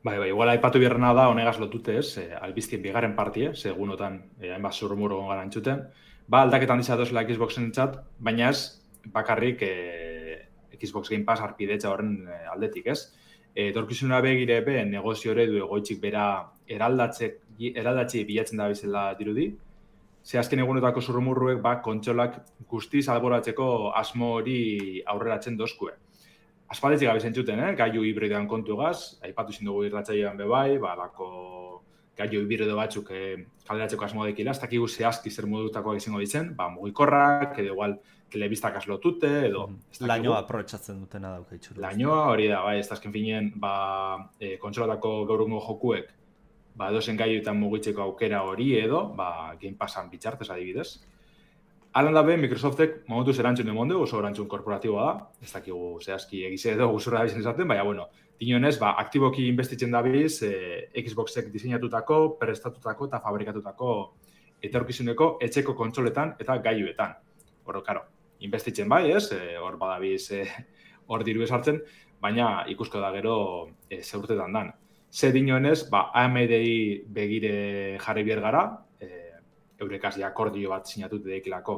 Speaker 5: Bai, bai, igual aipatu biherrena da honegaz lotute ez, eh, albiztien bigarren partie, segunotan eh, hainbat zurrumur egon gara entzuten. Ba, aldaketan dizia dozela Xboxen entzat, baina ez bakarrik eh, Xbox Game Pass arpidetza horren eh, aldetik, ez? Etorkizuna begire be negozio eredu egoitzik bera eraldatzek eraldatzi bilatzen da bezala dirudi. Ze azken egunetako zurrumurruek ba kontsolak guztiz alboratzeko asmo hori aurreratzen dozkue. Aspaldetik gabe zentzuten, eh? Gailu hibridoan kontugaz, aipatu izin dugu irratsaioan be bai, ba lako gailu hibrido batzuk eh, kaleratzeko asmo dekila, ez dakigu zehazki zer modutakoak izango ditzen, ba mugikorrak, edo igual telebistak aslotute, edo...
Speaker 6: Mm. Lainoa aprobetxatzen dutena dauka itxuruz.
Speaker 5: Lainoa hori da, bai, ez da azken finien, ba, e, kontsolatako gaurungo jokuek, ba, edozen gaiuetan mugitzeko aukera hori edo, ba, Game Passan bitxartez adibidez. Alan dabe, Microsoftek momentuz erantzun du monde, oso erantzun korporatiboa da, ez dakigu zehazki egize edo guzurra dabizen esaten, baina, bueno, dinonez, ba, aktiboki investitzen dabiz, e, Xboxek diseinatutako, prestatutako eta fabrikatutako etorkizuneko etxeko kontsoletan eta gaiuetan. Hor, karo, investitzen bai, ez, hor e, badabiz e, hor diru esartzen, baina ikusko da gero e, zeurtetan dan. Ze dinoenez, ba, A M D-i begire jarri bier gara, e, eurekaz akordio bat sinatute dekilako.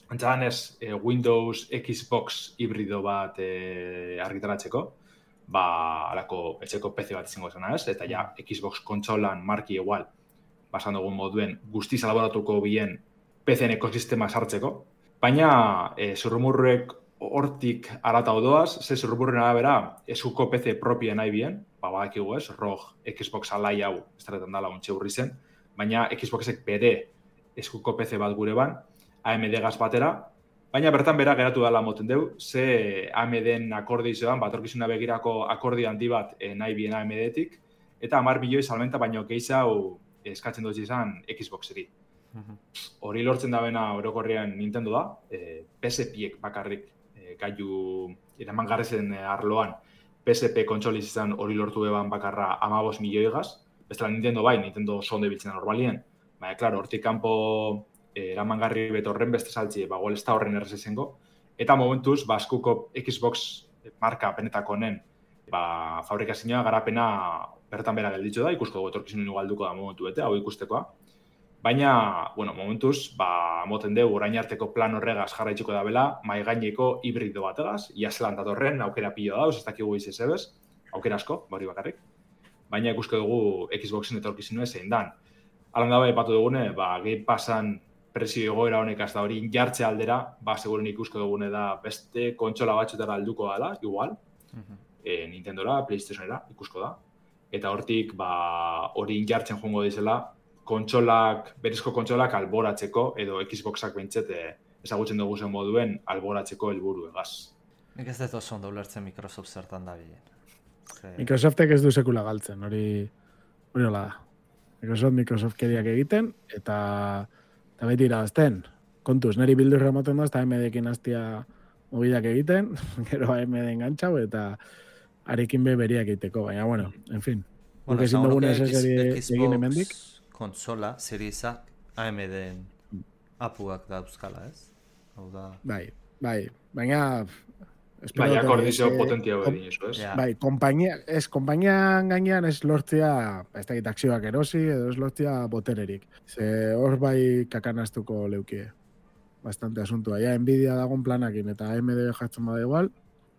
Speaker 5: Antzadan ez, e, Windows Xbox hibrido bat e, argitaratzeko, ba, alako etxeko P C bat izango zena ez, eta ja, Xbox kontsolan marki igual, basan dugun moduen, guztiz elaboratuko bien P C-en ekosistema sartzeko, baina e, zurrumurruek hortik arata odoaz, ze zurrumurren arabera eskuko P C propia nahi bien, ba, badakigu ez, R O G Xbox alai hau, ez tarretan dala ontxe hurri zen, baina Xboxek bere eskuko P C bat gure ban, A M D gaz batera, baina bertan bera geratu dala moten deu, ze A M D-en akordi izan, batorkizuna begirako akordi handi bat e, nahi bien A M D-etik, eta hamar milioi salmenta baino gehiago eskatzen dut izan Xboxeri. Hori lortzen da bena orokorrean Nintendo da, e, P S P-ek bakarrik e, gaiu eraman garrezen e, arloan P S P kontsoliz izan hori lortu eban bakarra hamabost milioi gaz, bestela Nintendo bai, Nintendo sonde biltzen normalien, baina, klaro, hortik kanpo e, eraman garri betorren beste saltzi, ba, gol ez da horren errez ezengo, eta momentuz, ba, askuko Xbox marka penetako honen, ba, fabrikazioa garapena bertan bera gelditzu da, ikusko dugu etorkizun galduko da momentu bete, hau ikustekoa. Baina, bueno, momentuz, ba, moten dugu orain arteko plan horregaz jarraitzuko da bela, maigaineko hibrido bategaz, iazelan datorren, aukera pilo dauz, ez dakigu izez ebez, aukera asko, bari bakarrik. Baina ikusko dugu Xboxen etorkizunua zein dan. Alan dabe, epatu dugune, ba, Game Passan prezio egoera honek azta hori jartze aldera, ba, seguren ikusko dugune da beste kontsola batxutara alduko dela, igual, uh-huh. e, Nintendora, PlayStationera, ikusko da. Eta hortik, ba, hori jartzen joango dizela, kontsolak, berezko kontsolak alboratzeko, edo Xboxak bentsete ezagutzen dugu zen moduen alboratzeko helburu egaz.
Speaker 6: Nik ez dut oso ondo ulertzen Microsoft zertan da bilen. Ze...
Speaker 3: Microsoftek ez du sekula galtzen, hori hori hola da. Microsoft, Microsoft keriak egiten, eta, eta beti irabazten. Kontuz, niri bildurra ematen da, eta A M D-ekin hastia mobidak egiten, gero A M D engantzau, eta arekin be beriak egiteko, baina, bueno, en fin.
Speaker 6: Bueno,
Speaker 3: ezin dugun ez egin hemendik.
Speaker 6: Konsola, seriezak A M D-en apuak dauzkala, ez? Hau da...
Speaker 3: Bai, bai, baina...
Speaker 5: Bai, akordizio potentia hori eso, ez?
Speaker 3: Bai, kompainia, ez, konpainian gainean ez lortzea, ez da akzioak erosi, edo ez lortzea botererik. Ze hor bai kakanaztuko leukie. Bastante asuntua. Ja, Nvidia dagon planakin, eta A M D jartzen bada igual.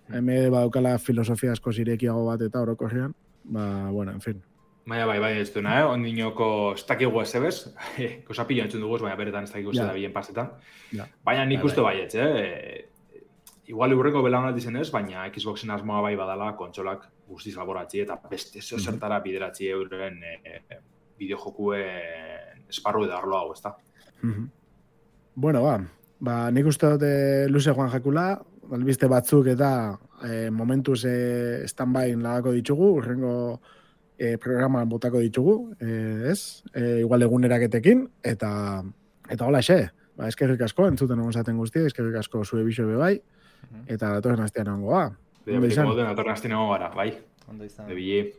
Speaker 3: A M D badaukala filosofia asko zirekiago bat eta orokorrean. Ba, bueno, en fin.
Speaker 5: Baina, bai, bai, ez duena, eh? Ondinoko ez dakigu ez ebez, kosa pilo entzun dugu, baina beretan ez dakigu ez da bien pasetan. Ja. Baina nik uste bai, ez, eh? Igual urreko belaunaldi zen ez, baina Xboxen asmoa bai badala kontsolak guztiz laboratzi eta beste zertara bideratzi euren e, bideojokuen esparru edo arlo hau, ez da?
Speaker 3: Mm-hmm. Bueno, ba, ba nik uste dute luze joan jakula, albiste batzuk eta e, momentuz e, stand-by lagako ditugu, urrengo e, programan botako ditugu, e, ez? E, igual eguneraketekin, eta eta hola xe, ba, eskerrik asko, entzuten egon zaten guztia, eskerrik asko zure biso be bai, eta datorren astean egongo, ba.
Speaker 5: Bide, bide, moden datorren astean egongo gara, bai.
Speaker 6: Ondo izan.
Speaker 5: Bebile.